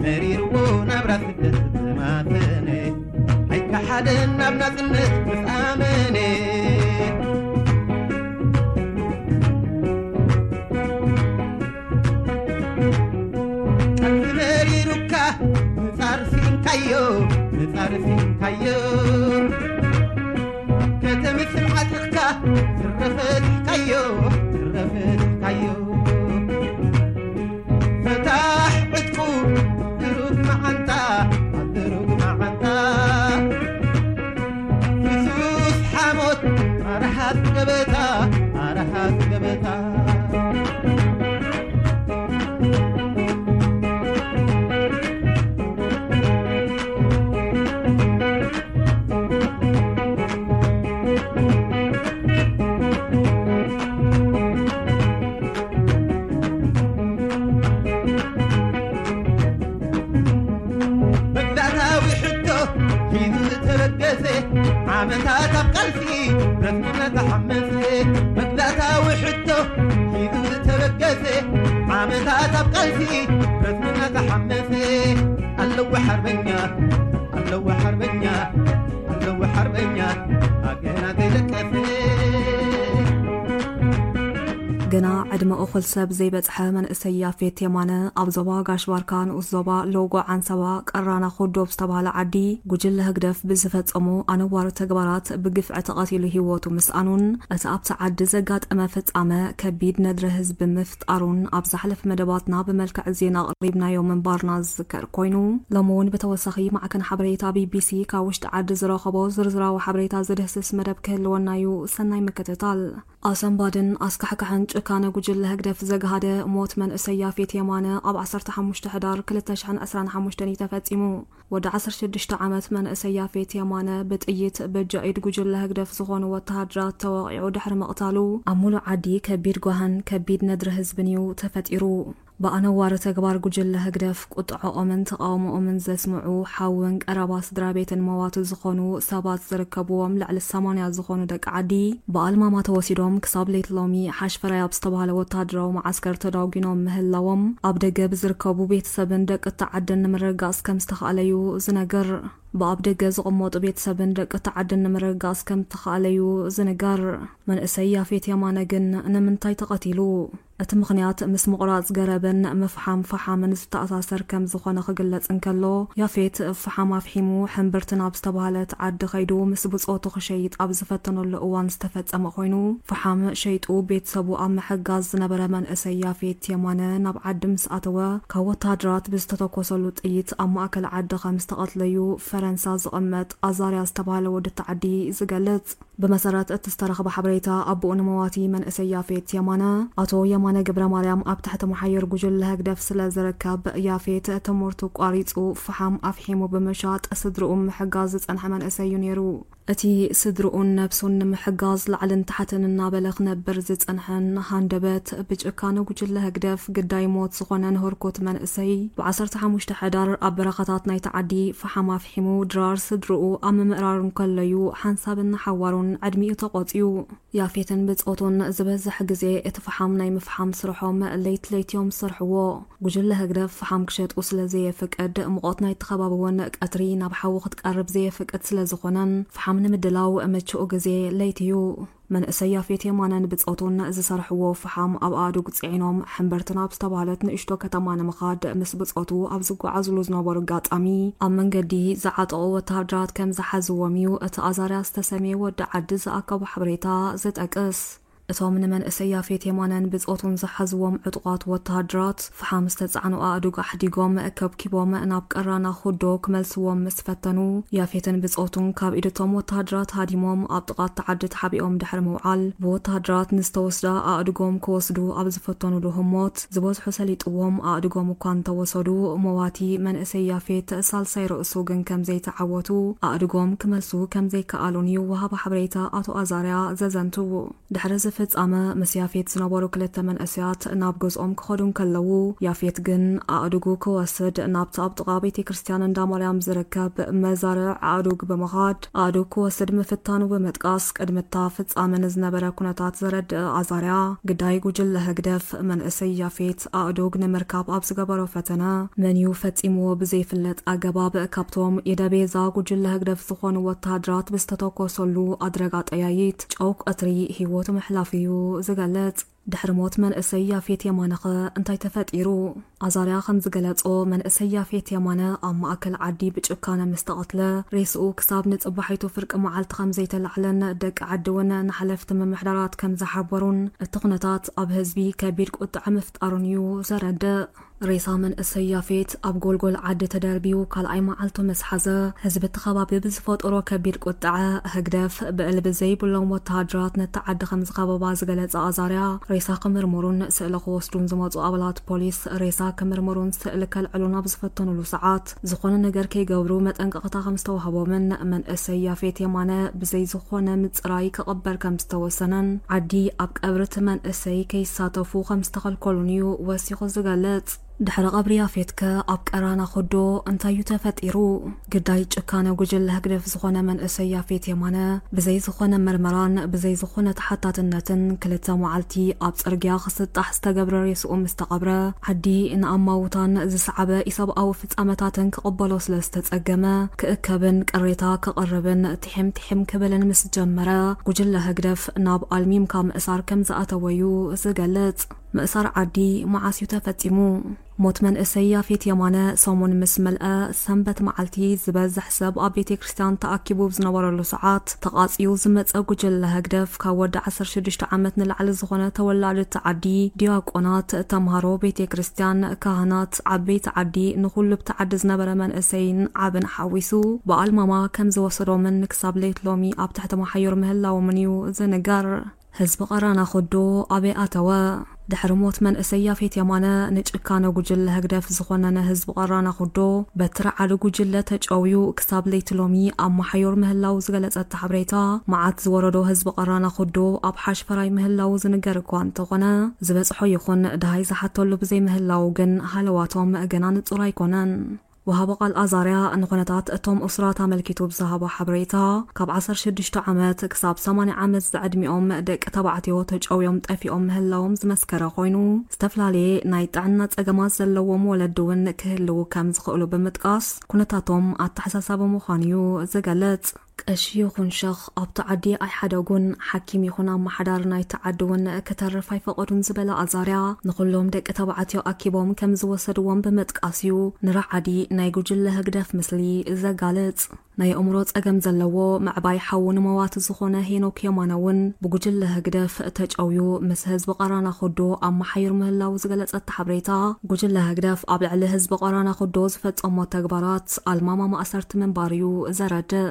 መሪርዎ ናብራ ስደት ዝማተነ፣ ኣይከሓደን ናብ ናጽነት ምስ ኣመነ። ካዮ ከተምስል ዓጢቕካ ትረፈትካዮ ትረፈትካዮ ፈታሕ ዕጥቁ ድሩት መዓንጣ ኣብ ድሩት መዓንጣ ፍሱስ ሓሞት ኣርሃት ገበታ ኣርሃት ገበታ መግዛእታዊ ሕቶ ሒዙ ዝተበገሰ ዓመታት ኣብ ቃልሲ ረስሙ መተሓመሰ መግዛእታዊ ሕቶ ሒዙ ዝተበገሰ ዓመታት ኣብ ቃልሲ ረስሙ መተሓመሰ ኣለዎ ሓርበኛ ኣለዎ ሓርበኛ ኣለዎ ሓርበኛ ኣገና ዘይለቀሰ ግና ዕድመ እኹል ሰብ ዘይበጽሐ መንእሰይ ያፌት የማነ ኣብ ዞባ ጋሽ ባርካ ንኡስ ዞባ ሎጎ ዓንሰባ ቀራና ኩዶብ ዝተባህለ ዓዲ ጉጅለ ህግደፍ ብዝፈጸሞ ኣነዋሪ ተግባራት ብግፍዒ ተቐቲሉ ህይወቱ ምስኣኑን እቲ ኣብቲ ዓዲ ዘጋጠመ ፍጻመ ከቢድ ነድሪ ህዝቢ ምፍጣሩን ኣብ ዝሓለፈ መደባትና ብመልክዕ ዜና ኣቕሪብናዮ ምንባርና ዝዝከር ኮይኑ ሎሚ እውን ብተወሳኺ ማዕከን ሓበሬታ ቢቢሲ ካብ ውሽጢ ዓዲ ዝረኸቦ ዝርዝራዊ ሓበሬታ ዝድህስስ መደብ ክህልወና እዩ። ሰናይ ምክትታል። ኣሰንባድን ኣስካሕካሕን ጭካነ ጉጅለ ህግደፍ ዘግሃደ ሞት መንእሰይ ያፌት የማነ ኣብ ዓሰርተ ሓሙሽተ ሕዳር ክልተ ሽሕን ዕስራን ሓሙሽተን እዩ ተፈጺሙ። ወዲ ዓሰርተ ሽዱሽተ ዓመት መንእሰይ ያፌት የማነ ብጥይት በጃኢድ ጉጅለ ህግደፍ ዝኾኑ ወተሃደራት ተወቒዑ ድሕሪ ምቕታሉ ኣብ ሙሉእ ዓዲ ከቢድ ጓህን ከቢድ ነድሪ ህዝብን እዩ ተፈጢሩ። ብኣነዋሪ ተግባር ጉጅለ ህግደፍ ቁጥዐኦምን ተቓውሞኦምን ዘስምዑ ሓውን ቀረባ ስድራ ቤትን መዋቱ ዝኾኑ ሰባት ዝርከብዎም ልዕሊ ሰማንያ ዝኾኑ ደቂ ዓዲ ብኣልማማ ተወሲዶም ክሳብ ለይቲ ሎሚ ሓሽፈራይ ኣብ ዝተባህለ ወተሃደራዊ መዓስከር ተዳጒኖም ምህላዎም ኣብ ደገ ብዝርከቡ ቤተሰብን ደቂ እቲ ዓድን ንምርግጋጽ ከም ዝተኻእለዩ ዝነገር። ብኣብ ደገ ዝቕመጡ ቤተሰብን ደቂ እቲ ዓድን ንምርግጋጽ ከም ዝተኻእለዩ ዝንገር። መንእሰይ ያፌት የማነ ግን ንምንታይ ተቐቲሉ? እቲ ምኽንያት ምስ ምቑራጽ ገረብን ምፍሓም ፈሓምን ዝተኣሳሰር ከም ዝኾነ ክግለጽ እንከሎ፣ ያፌት ፈሓም ኣፍሒሙ ሕምብርቲ ናብ ዝተባህለት ዓዲ ከይዱ ምስ ብጾቱ ክሸይጥ ኣብ ዝፈተነሉ እዋን ዝተፈጸመ ኮይኑ፣ ፈሓም ሸይጡ ቤተሰቡ ኣብ ምሕጋዝ ዝነበረ መንእሰይ ያፌት የማነ ናብ ዓዲ ምስ ኣተወ፣ ካብ ወተሃደራት ብዝተተኮሰሉ ጥይት ኣብ ማእከል ዓዲ ከም ዝተቐትለዩ ፈረንሳ ዝቕመጥ ኣዛርያ ዝተባህለ ወዲ እቲ ዓዲ ዝገልጽ። ብመሰረት እቲ ዝተረኽበ ሓበሬታ ኣቦኡ ንመዋቲ መንእሰይ ያፌት የማነ ኣቶ የማነ ገብረ ማርያም ኣብ ትሕቲ መሓየር ጉጅለ ህግደፍ ስለ ዝርከብ ያፌት ትምህርቱ ቋሪጹ ፈሓም ኣፍሒሙ ብምሻጥ ስድርኡ ምሕጋዝ ዝጸንሐ መንእሰይ እዩ ነይሩ። እቲ ስድርኡን ነብሱን ንምሕጋዝ ላዕልን ታሕትን እናበለ ክነብር ዝጸንሐን ሃንደበት ብጭካነ ጉጅለ ህግደፍ ግዳይ ሞት ዝኾነን ህርኩት መንእሰይ ብ ዓሰርተ ሓሙሽተ ሕዳር ኣብ በረኻታት ናይቲ ዓዲ ፈሓም ኣፍሒሙ ድራር ስድርኡ ኣብ ምምእራር እንከሎዩ ሓንሳብን ንሓዋሩን ዕድሚኡ ተቖጽዩ። ያፌትን ብጾቱን ዝበዝሕ ግዜ እቲ ፈሓም ናይ ምፍሓም ስርሖም ለይት ለይት እዮም ዝሰርሕዎ። ጉጅለ ህግደፍ ፈሓም ክሸጡ ስለ ዘየፍቅድ፣ ሙቐት ናይቲ ከባቢ እውን ቀትሪ ናብ ሓዊ ክትቀርብ ዘየፍቅድ ስለ ዝኾነን፣ ፈሓም ንምድላው ምቹእ ግዜ ለይቲ እዩ። መንእሰይ ያፌት የማነን ብጾቱን ዝሰርሕዎ ፈሓም ኣብ ኣእዱግ ጽዒኖም ሕምብርቲ ናብ ዝተባህለት ንእሽቶ ከተማ ንምኻድ ምስ ብጾቱ ኣብ ዝጓዓዝሉ ዝነበሩ ኣጋጣሚ፣ ኣብ መንገዲ ዝዓጠቑ ወተሃደራት ከም ዝሓዝዎም እዩ እቲ ኣዛርያ ዝተሰምየ ወዲ ዓዲ ዝኣከቦ ሓበሬታ ዝጠቅስ። እቶም ንመንእሰይ ያፌት የማነን ብጾቱን ዝሓዝዎም ዕጡቓት ወተሃደራት፣ ፈሓም ዝተጻዕኑ ኣእዱግ ኣሕዲጎም ከብኪቦም ናብ ቀራና ኩዶ ክመልስዎም ምስ ፈተኑ፣ ያፌትን ብጾቱን ካብ ኢድ እቶም ወተሃደራት ሃዲሞም ኣብ ጥቓ እቲ ዓዲ ተሓቢኦም ድሕሪ ምውዓል፣ ብወተሃደራት ንዝተወስዳ ኣእዱጎም ክወስዱ ኣብ ዝፈተኑሉ ህሞት፣ ዝበዝሑ ሰሊጥዎም ኣእዱጎም እኳ እንተወሰዱ፣ መዋቲ መንእሰይ ያፌት ሳልሳይ ርእሱ ግን ከም ዘይተዓወቱ፣ ኣእዱጎም ክመልሱ ከም ዘይከኣሉን እዩ ወሃቢ ሓበሬታ ኣቶ ኣዛርያ ዘዘንቱ። ድሕሪ እዚ ፍጻመ፣ ምስ ያፌት ዝነበሩ ክልተ መንእሰያት ናብ ገዝኦም ክኸዱ እንከለዉ፣ ያፌት ግን ኣእዱጉ ክወስድ ናብቲ ኣብ ጥቓ ቤተ ክርስቲያን እንዳ ማርያም ዝርከብ መዛርዕ ኣእዱግ ብምኻድ፣ ኣእዱግ ክወስድ ምፍታኑ ብምጥቃስ፣ ቅድሚ እታ ፍጻመ ንዝነበረ ኩነታት ዘረድእ ኣዛርያ፣ ግዳይ ጉጅለ ህግደፍ፣ መንእሰይ ያፌት ኣእዱግ ንምርካብ ኣብ ዝገበሮ ፈተነ፣ መን እዩ ፈጺምዎ ብዘይፍለጥ ኣገባብ፣ ካብቶም ኢደ ቤዛ ጉጅለ ህግደፍ ዝኾኑ ወተሃደራት ብዝተተኮሰሉ ኣድረጋ ጠያይት፣ ጨው ቀትሪ ህይወቱ ምሕላፉ እዩ ዝገልጽ። ድሕሪ ሞት መንእሰይ ያፌት የማነኸ እንታይ ተፈጢሩ? ኣዛርያ ከም ዝገለጾ፣ መንእሰይ ያፌት የማነ ኣብ ማእከል ዓዲ ብጭካነ ምስ ተቐትለ፣ ሬስኡ ክሳብ ንጽባሒቱ ፍርቂ መዓልቲ ከም ዘይተላዕለን ደቂ ዓዲ እውን ንሓለፍቲ ምምሕዳራት ከም ዝሓበሩን እቲ ኩነታት ኣብ ህዝቢ ከቢድ ቁጥዐ ምፍጣሩን እዩ ዘረድእ። ሬሳ መንእሰይ ያፌት ኣብ ጎልጎል ዓዲ ተደርብዩ ካልኣይ መዓልቱ ምስ ሓዘ፣ ህዝቢ እቲ ከባቢ ብዝፈጠሮ ከቢድ ቁጥዐ፣ ህግደፍ ብዕልቢ ዘይብሎም ወተሃደራት ነቲ ዓዲ ከም ዝኸበባ ዝገለጸ ኣዛርያ፣ ሬሳ ክምርምሩን ስእሊ ክወስዱን ዝመጹ ኣባላት ፖሊስ ሬሳ ክምርምሩን ስእሊ ከልዕሉን ኣብ ዝፈተኑሉ ሰዓት፣ ዝኾነ ነገር ከይገብሩ መጠንቀቕታ ከም ዝተዋህቦምን መንእሰይ ያፌት የማነ ብዘይ ዝኾነ ምጽራይ ክቕበር ከም ዝተወሰነን፣ ዓዲ ኣብ ቀብሪ እቲ መንእሰይ ከይሳተፉ ከም ዝተኸልከሉን እዩ ወሲኹ ዝገልጽ። ድሕሪ ቀብሪ ያፌትከ ኣብ ቀራና ኹዶ እንታይ እዩ ተፈጢሩ? ግዳይ ጭካነ ጉጅለ ህግደፍ ዝኾነ መንእሰይ ያፌት የማነ፣ ብዘይ ዝኾነ መርመራን ብዘይ ዝኾነ ተሓታትነትን ክልተ መዓልቲ ኣብ ጽርግያ ክስጣሕ ዝተገብረ ሬስኡ ምስ ተቐብረ፣ ዓዲ ንኣማውታን ዝሰዓበ ኢሰብኣዊ ፍጻመታትን ክቕበሎ ስለ ዝተጸገመ፣ ክእከብን ቅሬታ ክቕርብን ቲሒም ቲሒም ክብልን ምስ ጀመረ፣ ጉጅለ ህግደፍ ናብ ኣልሚምካ ምእሳር ከም ዝኣተወ እዩ ዝገልጽ። ምእሳር ዓዲ መዓስ እዩ ተፈጺሙ? ሞት መንእሰይ ያፌት የማነ ሰሙን ምስ መልአ፣ ሰንበት መዓልቲ ዝበዝሕ ሰብ ኣብ ቤተ ክርስቲያን ተኣኪቡ ዝነበረሉ ሰዓት፣ ተቓጽዩ ዝመጸ ጉጅለ ህግደፍ ካብ ወዲ ዓሰርተ ሽዱሽተ ዓመት ንላዕሊ ዝኾነ ተወላዲ እቲ ዓዲ፣ ዲያቆናት፣ ተምሃሮ ቤተ ክርስቲያን፣ ካህናት፣ ዓበይቲ ዓዲ፣ ንኹሉ ኣብቲ ዓዲ ዝነበረ መንእሰይን ዓብን ሓዊሱ ብኣልማማ ከም ዝወሰዶምን ክሳብ ለይት ሎሚ ኣብ ትሕቲ መሓዮር ምህላዎምን እዩ ዝንገር። ህዝቢ ቀራና ኹዶ ኣበይ ኣተወ? ድሕሪ ሞት መንእሰይ ያፌት የማነ ንጭካነ ጉጅለ ህግደፍ ዝኾነነ ህዝቢ ቀራና ኹዶ በትሪ ዓዲ ጉጅለ ተጨውዩ ክሳብ ለይቲ ሎሚ ኣብ መሓዮር ምህላው ዝገለጸ እቲ ሓበሬታ፣ መዓት ዝወረዶ ህዝቢ ቀራና ኹዶ ኣብ ሓሽፈራይ ምህላው ዝንገር እኳ እንተኾነ፣ ዝበጽሖ ይኹን ደሃይ ዝሓተሉ ብዘይምህላው ግን ሃለዋቶም ገና ንጹር ኣይኮነን። ወሃቢ ቃል ኣዛርያ ንኹነታት እቶም እሱራት ኣመልኪቱ ብዝሃቦ ሓበሬታ፣ ካብ ዓሰርተ ሽዱሽተ ዓመት ክሳብ ሰማንያ ዓመት ዝዕድሚኦም ደቂ ተባዕትዮ ተጨውዮም ጠፊኦም ምህላዎም ዝመስከረ ኮይኑ፣ ዝተፈላለየ ናይ ጥዕና ጸገማት ዘለዎም ወለዲ እውን ክህልዉ ከም ዝኽእሉ ብምጥቃስ፣ ኩነታቶም ኣተሓሳሳቢ ምዃኑ እዩ ዝገልጽ። ቀሺ ይኹን ሸኽ ኣብቲ ዓዲ ኣይሓደጉን። ሓኪም ይኹን ኣመሓዳሪ ናይቲ ዓዲ እውን ክተርፍ ኣይፈቐዱን ዝበለ ኣዛርያ፣ ንኹሎም ደቂ ተባዕትዮ ኣኪቦም ከም ዝወሰድዎም ብምጥቃስ እዩ ንራዓዲ ናይ ጉጅለ ህግደፍ ምስሊ ዘጋልጽ። ናይ ኣእምሮ ጸገም ዘለዎ ምዕባይ ሓዉ ንመዋቲ ዝኾነ ሄኖክ የማነ እውን ብጉጅለ ህግደፍ ተጨውዩ ምስ ህዝቢ ቀራና ኹዶ ኣብ መሓይር ምህላው ዝገለጸ እቲ ሓበሬታ፣ ጉጅለ ህግደፍ ኣብ ልዕሊ ህዝቢ ቀራና ኹዶ ዝፈጸሞ ተግባራት ኣልማማ ማእሰርቲ ምንባር እዩ ዘረድእ።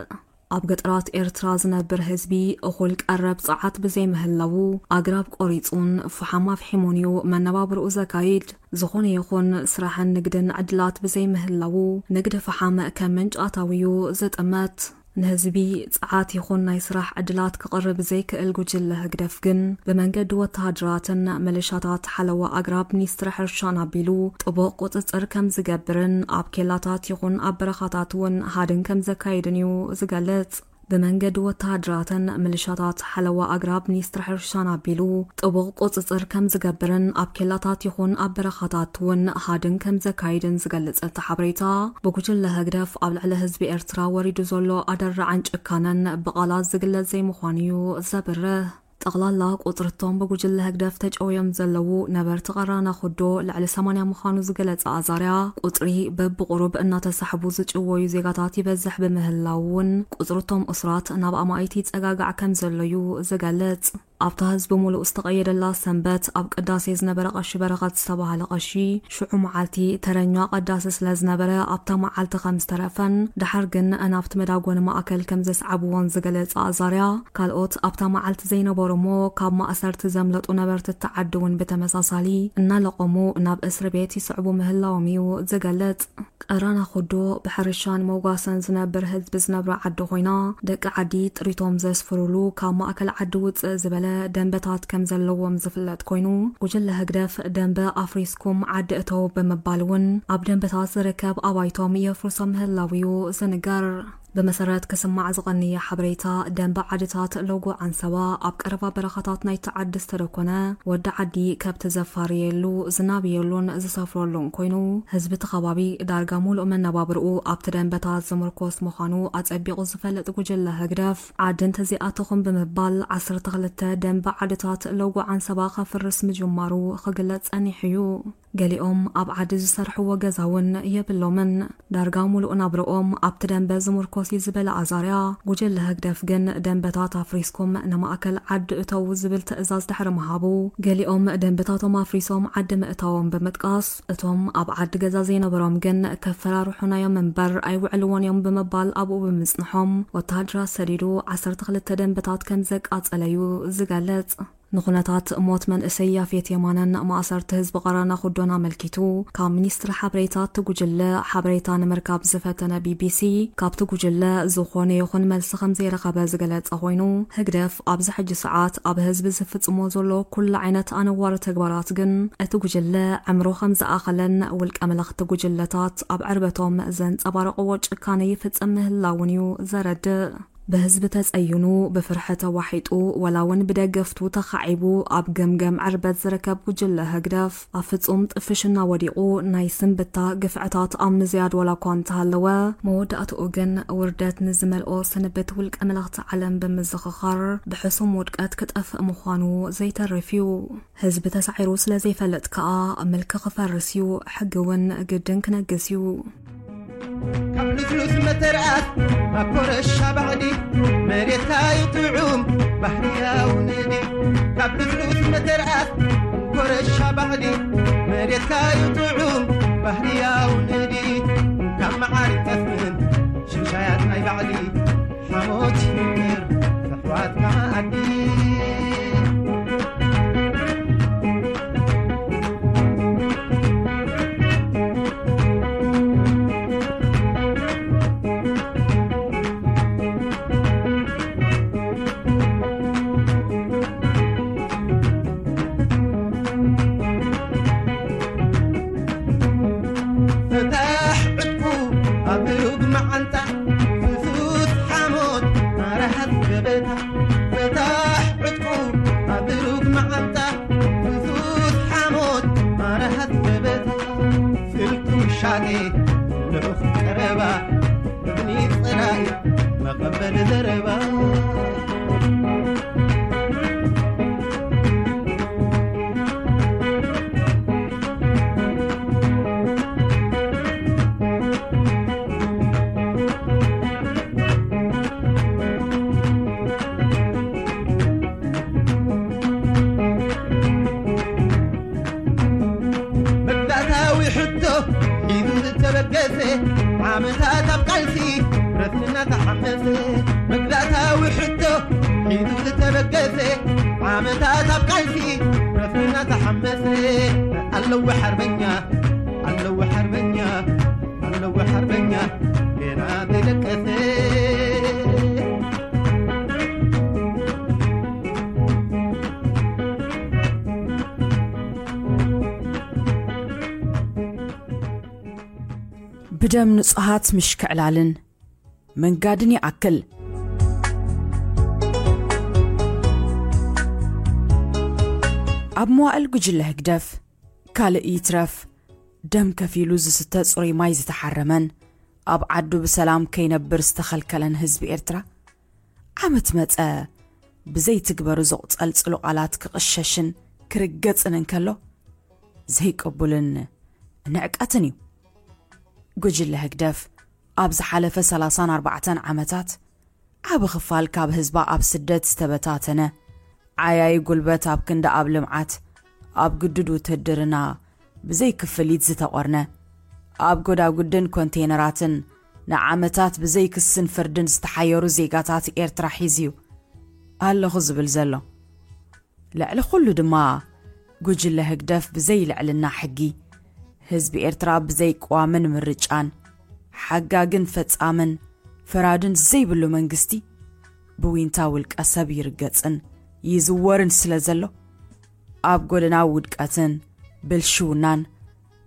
ኣብ ገጠራት ኤርትራ ዝነብር ህዝቢ እኹል ቀረብ ጸዓት ብዘይምህላዉ፣ ኣግራብ ቆሪጹን ፍሓም ኣፍሒሙን እዩ መነባብርኡ ዘካይድ። ዝኾነ ይኹን ስራሕን ንግድን ዕድላት ብዘይምህላዉ፣ ንግዲ ፍሓም ከም ምንጪ ኣታዊ እዩ ዝጥመት። ንህዝቢ ጸዓት ይኹን ናይ ስራሕ ዕድላት ክቕርብ ዘይክእል ጉጅለ ህግደፍ ግን፣ ብመንገዲ ወተሃደራትን ምልሻታት ሓለዋ ኣግራብ ሚኒስትሪ ሕርሻን ኣቢሉ ጥቡቕ ቁጽጽር ከም ዝገብርን ኣብ ኬላታት ይኹን ኣብ በረኻታት እውን ሃድን ከም ዘካይድን እዩ ዝገልጽ። ብመንገዲ ወተሃደራትን ምልሻታት ሓለዋ ኣግራብ ሚኒስትሪ ሕርሻን ኣቢሉ ጥቡቕ ቁጽጽር ከም ዝገብርን ኣብ ኬላታት ይኹን ኣብ በረኻታት እውን ሃድን ከም ዘካይድን ዝገልጽ እቲ ሓበሬታ፣ ብጉጅለ ህግደፍ ኣብ ልዕሊ ህዝቢ ኤርትራ ወሪዱ ዘሎ ኣደራዕን ጭካነን ብቓላት ዝግለጽ ዘይምዃኑ እዩ ዘብርህ። ጠቕላላ ቁጽሪ እቶም ብጉጅለ ህግደፍ ተጨውዮም ዘለዉ ነበርቲ ቀራና ኹዶ ልዕሊ ሰማንያ ምዃኑ ዝገለጸ ኣዛርያ፣ ቁጽሪ በብቑሩብ እናተሳሕቡ ዝጭወዩ ዜጋታት ይበዝሕ ብምህላው እውን፣ ቁጽሪ እቶም እሱራት ናብ ኣማኢት ይጸጋጋዕ ከም ዘሎ እዩ ዝገልጽ። ኣብታ ህዝቢ ሙሉእ ዝተቐየደላ ሰንበት፣ ኣብ ቅዳሴ ዝነበረ ቀሺ በረኸት ዝተባህለ ቀሺ፣ ሽዑ መዓልቲ ተረኛ ቀዳሲ ስለ ዝነበረ፣ ኣብታ መዓልቲ ከም ዝተረፈን፣ ደሓር ግን ናብቲ መዳጎኒ ማእከል ከም ዘስዓብዎን ዝገለጸ ኣዛርያ፣ ካልኦት ኣብታ መዓልቲ ዘይነበሩ እሞ፣ ካብ ማእሰርቲ ዘምለጡ ነበርቲ እቲ ዓዲ እውን ብተመሳሳሊ እናለቐሙ ናብ እስሪ ቤት ይስዕቡ ምህላዎም እዩ ዝገልጽ። ቀራና ኹዶ ብሕርሻን መጓሰን ዝነብር ህዝቢ ዝነብራ ዓዲ ኮይና፣ ደቂ ዓዲ ጥሪቶም ዘስፍሩሉ ካብ ማእከል ዓዲ ውጽእ ዝበለ ደንበታት ከም ዘለዎም ዝፍለጥ ኮይኑ፣ ጉጅለ ህግደፍ ደንበ ኣፍሪስኩም ዓዲ እተው ብምባል እውን ኣብ ደንበታት ዝርከብ ኣባይቶም የፍርሶ ምህላው እዩ ዝንገር። ብመሰረት ክስማዕ ዝቐንየ ሓበሬታ፣ ደንበ ዓድታት ሎጎ ዓንሰባ ኣብ ቀረባ በረኻታት ናይቲ ዓዲ ዝተደኮነ፣ ወዲ ዓዲ ከብቲ ዘፋርየሉ፣ ዝናብየሉን ዝሰፍረሉን ኮይኑ፣ ህዝቢ እቲ ከባቢ ዳርጋ ሙሉእ መነባብርኡ ኣብቲ ደንበታት ዝምርኮስ ምዃኑ ኣጸቢቑ ዝፈልጥ ጉጅለ ህግደፍ፣ ዓዲ እንተዘይኣተኹም ብምባል ዓሰርተ ክልተ ደንበ ዓድታት ሎጎ ዓንሰባ ከፍርስ ምጅማሩ ክግለጽ ጸኒሑ እዩ። ገሊኦም ኣብ ዓዲ ዝሰርሕዎ ገዛ እውን የብሎምን። ዳርጋ ሙሉእ ናብርኦም ኣብቲ ደንበ ዝምርኮስ እዩ ዝበለ ኣዛርያ፣ ጉጅለ ህግደፍ ግን ደንበታት ኣፍሪስኩም ንማእከል ዓዲ እተዉ ዝብል ትእዛዝ ድሕሪ ምሃቡ፣ ገሊኦም ደንበታቶም ኣፍሪሶም ዓዲ ምእታዎም ብምጥቃስ፣ እቶም ኣብ ዓዲ ገዛ ዘይነበሮም ግን ከፈራርሑና እዮም እምበር ኣይውዕልዎን እዮም ብምባል ኣብኡ ብምጽንሖም፣ ወተሃደራት ሰዲዱ ዓሰርተ ክልተ ደንበታት ከም ዘቃጸለ እዩ ዝገልጽ። ንኹነታት ሞት መንእሰይ ያፌት የማነን ማእሰርቲ ህዝቢ ቐረና ኩዶን ኣመልኪቱ፣ ካብ ሚኒስትሪ ሓበሬታ እቲ ጉጅለ ሓበሬታ ንምርካብ ዝፈተነ ቢቢሲ፣ ካብቲ ጉጅለ ዝኾነ ይኹን መልሲ ከም ዘይረኸበ ዝገለጸ ኮይኑ፣ ህግደፍ ኣብዚ ሕጂ ሰዓት ኣብ ህዝቢ ዝፍጽሞ ዘሎ ኩሉ ዓይነት ኣነዋሪ ተግባራት ግን፣ እቲ ጉጅለ ዕምሩ ከም ዝኣኸለን ውልቀ መለኽቲ ጉጅለታት ኣብ ዕርበቶም ዘንጸባረቕዎ ጭካነ ይፍጽም ምህላውን እዩ ዘረድእ። ብህዝቢ ተጸይኑ፣ ብፍርሒ ተዋሒጡ፣ ወላ እውን ብደገፍቱ ተኻዒቡ ኣብ ገምገም ዕርበት ዝርከብ ጉጅለ ህግደፍ፣ ኣብ ፍጹም ጥፍሽና ወዲቑ፣ ናይ ስንብታ ግፍዕታት ኣብ ምዝያድ ወላ እኳ እንተሃለወ፣ መወዳእትኡ ግን ውርደት ንዝመልኦ ስንብት ውልቀ መለኽቲ ዓለም ብምዝኽኻር፣ ብሕሱም ውድቀት ክጠፍእ ምዃኑ ዘይተርፍ እዩ። ህዝቢ ተሳዒሩ ስለ ዘይፈልጥ ከኣ ምልኪ ክፈርስ እዩ፣ ሕጊ እውን ግድን ክነግስ እዩ። ካብ ልስሉስ መተርኣት ናብ ኮረሻ ባዕዲ፣ መሬትካ እዩ ጥዑም ባህርያዊ ንዲ። ካብ ልስሉስ መተርኣት ኮረሻ ባዕዲ፣ መሬትካ እዩ ጥዑም ባህርያዊ ንዲ። ካብ መዓር ይጠፍእን ሽሻያት ናይ ባዕዲ፣ ሓሞት ይምቅር ኣሕዋት መኣዲ። ፍታሕ ዕጥቁ ኣብ ሩግ መዓንጣ፣ ፍሱስ ሓሞት ኣረሃት ገበታ። ፍታሕ ዕጥቁ ኣብ ሩግ መዓንጣ፣ ፍሱስ ሓሞት ኣረሃት ገበታ። ስልቱ ሻኔ ልኡኽ ቀረባ፣ እዝኒ ጸላኢ መቐበሊ ዘረባ። መግዛእታዊ ሕቶ ሒዙ ዝተበገሰ፣ ዓመታት ኣብ ቃልሲ ረስንና ተሓመሰ። መግዛእታዊ ሕቶ ሒዙ ዝተበገሰ፣ ዓመታት ኣብ ቃልሲ ረስንና ተሓመሰ። ኣለዎ ሓርበኛ፣ ኣለዎ ሓርበኛ፣ ኣለዎ ሓርበኛ ገና ዘይደቀሰ። ብደም ንጹሃት ምሽክዕላልን መንጋድን ይኣክል። ኣብ መዋእል ጉጅለ ህግደፍ ካልእ ይትረፍ ደም ከፊሉ ዝስተ ጽሩይ ማይ ዝተሓረመን ኣብ ዓዱ ብሰላም ከይነብር ዝተኸልከለን ህዝቢ ኤርትራ፣ ዓመት መጸ ብዘይትግበሩ ዝቑጸልጽሉ ቃላት ክቕሸሽን ክርገጽን እንከሎ፣ ዘይቅቡልን ንዕቀትን እዩ። ጉጅለ ህግደፍ ኣብ ዝሓለፈ ሰላሳን ኣርባዕተን ዓመታት ዓቢ ክፋል ካብ ህዝባ ኣብ ስደት ዝተበታተነ፣ ዓያዪ ጉልበት ኣብ ክንዲ ኣብ ልምዓት፣ ኣብ ግዱድ ውትድርና ብዘይ ክፍሊት ዝተቖርነ፣ ኣብ ጎዳጉድን ኮንቴነራትን ንዓመታት ብዘይ ክስን ፍርድን ዝተሓየሩ ዜጋታት ኤርትራ ሒዙ እዩ ኣለኹ ዝብል ዘሎ። ልዕሊ ኩሉ ድማ፣ ጉጅለ ህግደፍ ብዘይ ልዕልና ሕጊ፣ ህዝቢ ኤርትራ ብዘይ ቅዋምን ምርጫን፣ ሓጋግን ፈጻምን ፈራድን ዘይብሉ መንግስቲ፣ ብዊንታ ውልቀ ሰብ ይርገጽን ይዝወርን ስለ ዘሎ፣ ኣብ ጎደና ውድቀትን ብልሽውናን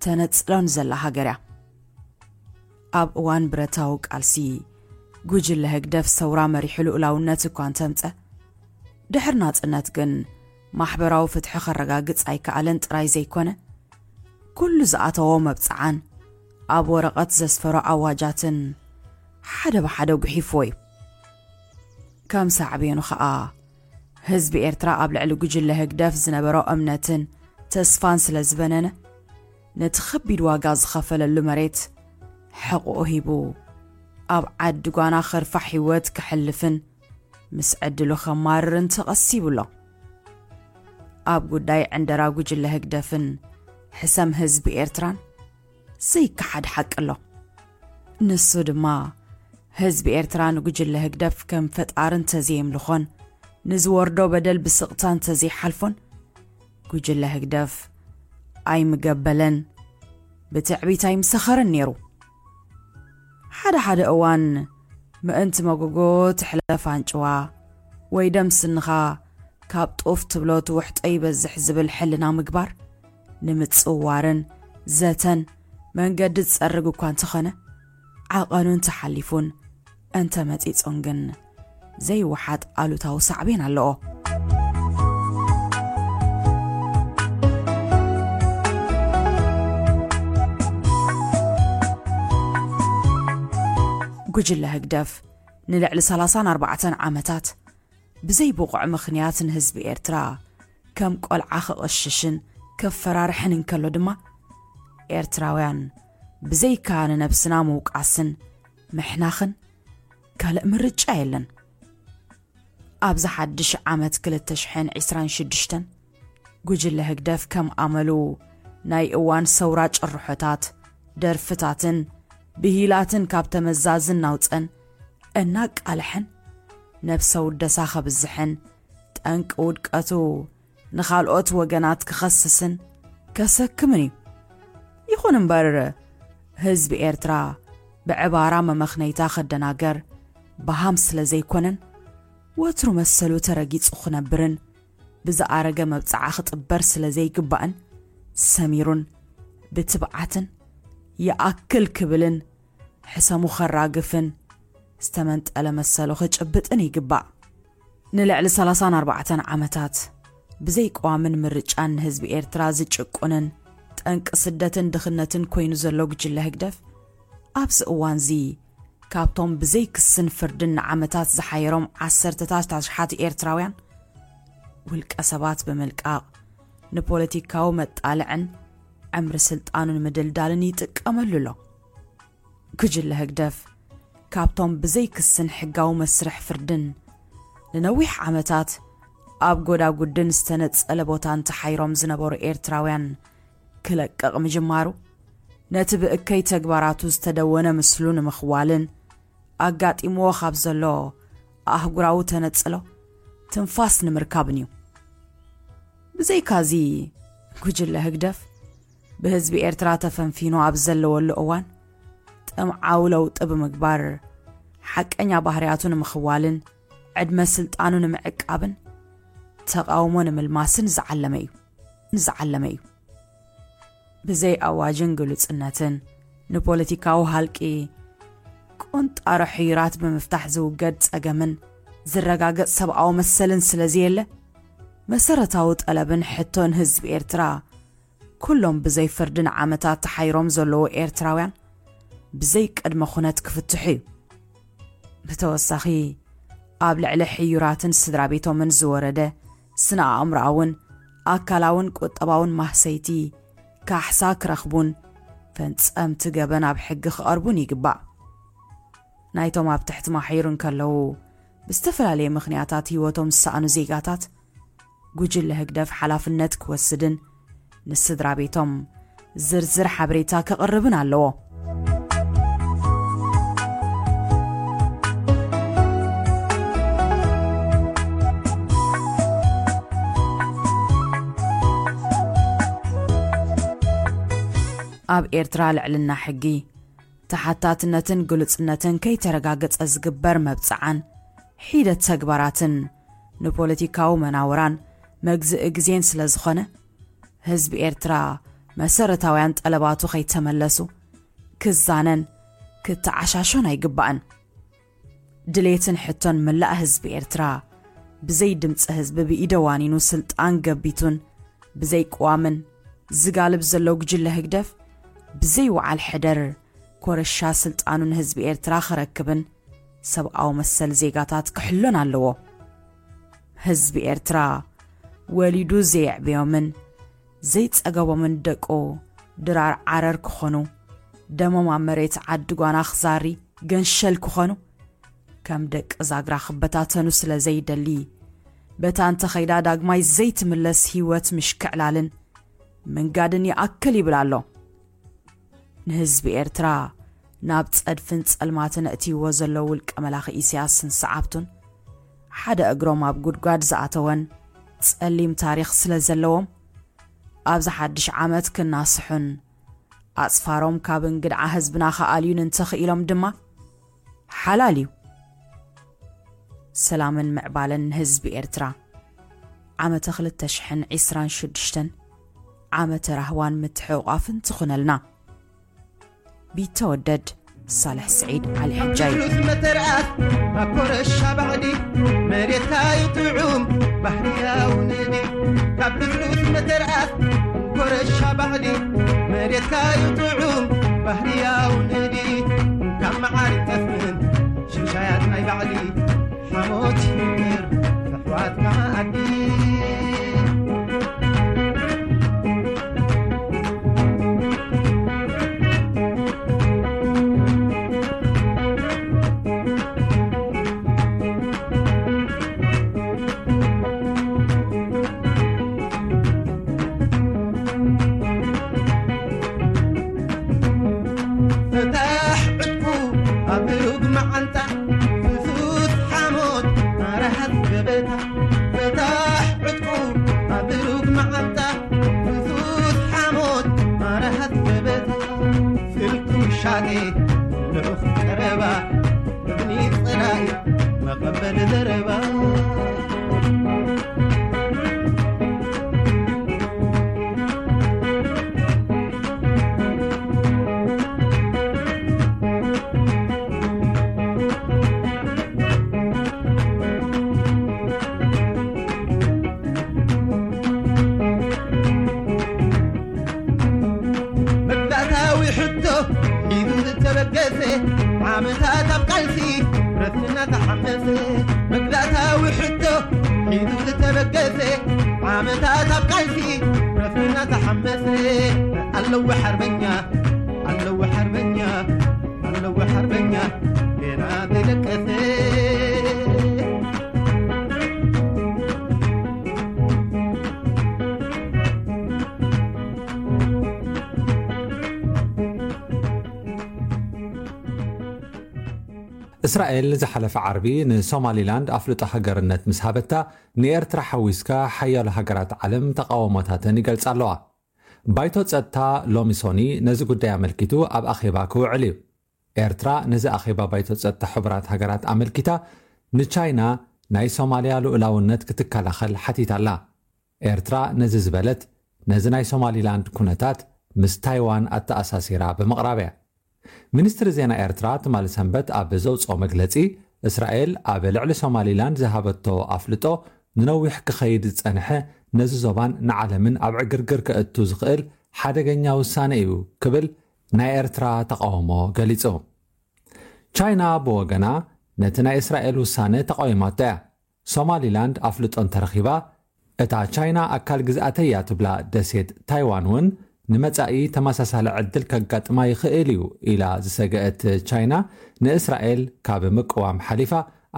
ተነጽሎን ዘላ ሃገር እያ። ኣብ እዋን ብረታዊ ቃልሲ ጉጅለ ህግደፍ ሰውራ መሪሑ ልኡላውነት እኳ እንተምጸ፣ ድሕሪ ናጽነት ግን ማሕበራዊ ፍትሒ ከረጋግጽ ኣይከኣለን ጥራይ ዘይኮነ፣ ኩሉ ዝኣተዎ መብጽዓን ኣብ ወረቐት ዘስፈሮ ኣዋጃትን ሓደ ብሓደ ጉሒፍዎ እዩ። ከም ሳዕቤኑ ኸኣ፣ ህዝቢ ኤርትራ ኣብ ልዕሊ ጉጅለ ህግደፍ ዝነበሮ እምነትን ተስፋን ስለ ዝበነነ፣ ነቲ ከቢድ ዋጋ ዝኸፈለሉ መሬት ሕቕኡ ሂቡ፣ ኣብ ዓዲ ጓና ከርፋሕ ህይወት ከሕልፍን ምስ ዕድሉ ከማርርን ተቐሲቡ ኣሎ። ኣብ ጉዳይ ዕንደራ ጉጅለ ህግደፍን ሕሰም ህዝቢ ኤርትራን ዘይከሓድ ሓቂ ኣሎ። ንሱ ድማ፣ ህዝቢ ኤርትራ ንጉጅለ ህግደፍ ከም ፈጣሪ እንተዘየምልኾን፣ ንዝወርዶ በደል ብስቕታ እንተዘይሓልፎን፣ ጉጅለ ህግደፍ ኣይምገበለን፣ ብትዕቢት ኣይምሰኸረን ነይሩ። ሓደ ሓደ እዋን፣ ምእንቲ መጎጎ ትሕለፍ ኣንጭዋ፣ ወይ ደም ስንኻ ካብ ጡፍ ትብሎ ትውሕጦ ይበዝሕ ዝብል ሕልና ምግባር፣ ንምጽዋርን ዘተን መንገዲ ዝጸርግ እኳ እንተኾነ፣ ዓቐኑን ተሓሊፉን እንተ መጺጾን ግን ዘይወሓጥ ኣሉታዊ ሳዕቤን ኣለዎ። ጉጅለ ህግደፍ ንልዕሊ ሰላሳን ኣርባዕተን ዓመታት ብዘይ ብቑዕ ምኽንያት ንህዝቢ ኤርትራ ከም ቆልዓ ክቕሽሽን ከፈራርሕን እንከሎ ድማ፣ ኤርትራውያን ብዘይካ ንነብስና ምውቃስን ምሕናኽን ካልእ ምርጫ የለን። ኣብዚ ሓድሽ ዓመት ክልተ ሽሕን ዕስራን ሽዱሽተን፣ ጉጅለ ህግደፍ ከም ኣመሉ ናይ እዋን ሰውራ ጭርሖታት፣ ደርፍታትን ብሂላትን ካብ ተመዛዝን ናውጸን እናቃልሐን፣ ነብሰ ውደሳ ከብዝሕን፣ ጠንቂ ውድቀቱ ንኻልኦት ወገናት ክኸስስን ከሰክምን እዩ። ይኹን እምበር፣ ህዝቢ ኤርትራ ብዕባራ መመኽነይታ ከደናገር በሃም ስለ ዘይኮነን፣ ወትሩ መሰሉ ተረጊጹ ክነብርን ብዝኣረገ መብጽዓ ክጥበር ስለ ዘይግባእን፣ ሰሚሩን ብትብዓትን ይኣክል ክብልን ሕሰሙ ከራግፍን ዝተመንጠለ መሰሉ ክጭብጥን ይግባእ። ንልዕሊ ሰላሳን ኣርባዕተን ዓመታት ብዘይ ቅዋምን ምርጫን ንህዝቢ ኤርትራ ዝጭቁንን ጠንቂ ስደትን ድኽነትን ኮይኑ ዘሎ ጉጅለ ህግደፍ፣ ኣብዚ እዋንዚ ካብቶም ብዘይ ክስን ፍርድን ንዓመታት ዝሓየሮም ዓሰርተታት ኣሽሓት ኤርትራውያን ውልቀ ሰባት ብምልቃቕ ንፖለቲካዊ መጣልዕን ዕምሪ ስልጣኑ ንምድልዳልን ይጥቀመሉ ኣሎ። ጉጅለ ህግደፍ ካብቶም ብዘይ ክስን ሕጋዊ መስርሕ ፍርድን ንነዊሕ ዓመታት ኣብ ጎዳጉድን ዝተነጸለ ቦታን ተሓይሮም ዝነበሩ ኤርትራውያን ክለቅቕ ምጅማሩ፣ ነቲ ብእከይ ተግባራቱ ዝተደወነ ምስሉ ንምኽዋልን ኣጋጢምዎ ካብ ዘሎ ኣህጉራዊ ተነጽሎ ትንፋስ ንምርካብን እዩ። ብዘይካዚ፣ ጉጅለ ህግደፍ ብህዝቢ ኤርትራ ተፈንፊኑ ኣብ ዘለወሉ እዋን፣ ጥምዓዊ ለውጢ ብምግባር፣ ሓቀኛ ባህርያቱ ንምኽዋልን ዕድመ ስልጣኑ ንምዕቃብን ተቓውሞ ንምልማስን ዝዓለመ እዩ። ዝዓለመ እዩ። ብዘይ ኣዋጅን ግሉጽነትን፣ ንፖለቲካዊ ሃልቂ ቆንጣሮ ሕዩራት ብምፍታሕ ዝውገድ ጸገምን ዝረጋገጽ ሰብኣዊ መሰልን ስለ ዘየለ፣ መሰረታዊ ጠለብን ሕቶን ህዝቢ ኤርትራ፣ ኩሎም ብዘይ ፍርድን ዓመታት ተሓይሮም ዘለዉ ኤርትራውያን ብዘይ ቅድመ ኩነት ክፍትሑ እዩ። ብተወሳኺ፣ ኣብ ልዕሊ ሕዩራትን ስድራ ቤቶምን ዝወረደ ስነ ኣእምሮኣውን ኣካላውን ቁጠባውን ማህሰይቲ ካሕሳ ክረኽቡን ፈንጸምቲ ገበን ኣብ ሕጊ ክቐርቡን ይግባእ። ናይቶም ኣብ ትሕቲ ማሕዩር እንከለዉ ብዝተፈላለየ ምኽንያታት ህይወቶም ዝሰኣኑ ዜጋታት ጉጅለ ህግደፍ ሓላፍነት ክወስድን ንስድራ ቤቶም ዝርዝር ሓበሬታ ክቕርብን ኣለዎ። ኣብ ኤርትራ ልዕልና ሕጊ፣ ተሓታትነትን ግሉጽነትን ከይተረጋገጸ ዝግበር መብጽዓን ሒደት ተግባራትን ንፖለቲካዊ መናውራን መግዝኢ ግዜን ስለ ዝኾነ፣ ህዝቢ ኤርትራ መሰረታውያን ጠለባቱ ከይተመለሱ ክዛነን ክተዓሻሾን ኣይግባእን። ድሌትን ሕቶን መላእ ህዝቢ ኤርትራ፣ ብዘይ ድምፂ ህዝቢ ብኢደ ዋኒኑ ስልጣን ገቢቱን ብዘይ ቅዋምን ዝጋልብ ዘሎ ጉጅለ ህግደፍ፣ ብዘይ ወዓል ሕደር ኮረሻ ስልጣኑ ንህዝቢ ኤርትራ ክረክብን ሰብኣዊ መሰል ዜጋታት ክሕሎን ኣለዎ። ህዝቢ ኤርትራ ወሊዱ ዘየዕበዮምን ዘይጸገቦምን ደቁ ድራር ዓረር ክኾኑ፣ ደሞም ኣብ መሬት ዓዲ ጓና ክዛሪ ገንሸል ክኾኑ፣ ከም ደቂ ዛግራ ክበታተኑ ስለ ዘይደሊ፣ በታ እንተኸይዳ ዳግማይ ዘይትምለስ ህይወት ምሽክዕላልን ምንጋድን ይኣክል ይብል ኣሎ። ንህዝቢ ኤርትራ ናብ ጸድፍን ጸልማትን እእትይዎ ዘሎ ውልቀ መላኺ ኢሳያስን ሰዓብቱን፣ ሓደ እግሮም ኣብ ጉድጓድ ዝኣተወን ጸሊም ታሪኽ ስለ ዘለዎም፣ ኣብዚ ሓድሽ ዓመት ክናስሑን ኣጽፋሮም ካብ እንግድዓ ህዝብና ክኣልዩን እንተኽኢሎም ድማ ሓላል እዩ። ሰላምን ምዕባለን ንህዝቢ ኤርትራ። ዓመተ ክልተ ሽሕን ዕስራን ሽዱሽተን ዓመተ ራህዋን ምትሕቑቓፍን ትኹነልና። ቢተወደድ ሳልሕ ስዒድ ዓሊ ሕጃይ። ብሉስ መተርኣስ ኣብ ኮረሻ ባዕዲ መሬትካ ይጥዑም ባህርያዊ ንዲ። ካብ ብሉስ መተርኣስ ኮረሻ ባዕዲ መሬትካ ይጥዑም ባህርያዊ ንዲ። ካብ መዓር ጠፍን ሽሻያት ናይ ባዕዲ ሓሞት ይምቅር ኣሕዋት መኣዲ። ፈታሕ ዕጥቁ ኣብ ሩግ መዓንጣ ፍሱስ ሓሞት ኣረሃት ገበታ። ፈታሕ ዕጥቁ ኣብ ሩግ መዓንጣ ፍሱስ ሓሞት ኣረሃት ገበታ። ስልኩ ሻኔ ልኡኽ ቀረባ እብኒ ጸላኢ መቐበል ዘረባ። መግዛእታዊ ሕቶ ሒዙ ዝተበገሰ ዓመታት ኣብ ቃልሲ ረስና ተሓመሰ። መግዛእታዊ ሕቶ ሒዙ ዝተበገሰ ዓመታት ኣብ ቃልሲ ረስና ተሓመሰ። ኣለዎ ሓርበኛ፣ ኣለዎ ሓርበኛ፣ ኣለዎ ሓርበኛ ገና ዘይደቀሰ። እስራኤል ዝሓለፈ ዓርቢ ንሶማሊላንድ ኣፍልጦ ሃገርነት ምስ ሃበታ፣ ንኤርትራ ሓዊስካ ሓያሎ ሃገራት ዓለም ተቓውሞታተን ይገልጻ ኣለዋ። ባይቶ ጸጥታ ሎሚ ሶኒ ነዚ ጉዳይ ኣመልኪቱ ኣብ ኣኼባ ክውዕል እዩ። ኤርትራ ነዚ ኣኼባ ባይቶ ጸጥታ ሕቡራት ሃገራት ኣመልኪታ፣ ንቻይና ናይ ሶማልያ ልኡላውነት ክትከላኸል ሓቲታ ኣላ። ኤርትራ ነዚ ዝበለት፣ ነዚ ናይ ሶማሊላንድ ኩነታት ምስ ታይዋን ኣተኣሳሲራ ብምቕራብ እያ። ሚኒስትሪ ዜና ኤርትራ ትማሊ ሰንበት ኣብ ዘውጽኦ መግለጺ፣ እስራኤል ኣብ ልዕሊ ሶማሊላንድ ዝሃበቶ ኣፍልጦ ንነዊሕ ክኸይድ ዝጸንሐ፣ ነዚ ዞባን ንዓለምን ኣብ ዕግርግር ከእቱ ዝኽእል ሓደገኛ ውሳነ እዩ ክብል ናይ ኤርትራ ተቓውሞ ገሊጹ። ቻይና ብወገና ነቲ ናይ እስራኤል ውሳነ ተቓዊማቶ እያ። ሶማሊላንድ ኣፍልጦ እንተረኺባ፣ እታ ቻይና ኣካል ግዝኣተይ እያ ትብላ ደሴት ታይዋን እውን ንመጻኢ ተመሳሳሊ ዕድል ከጋጥማ ይኽእል እዩ ኢላ ዝሰገአት ቻይና፣ ንእስራኤል ካብ ምቅዋም ሓሊፋ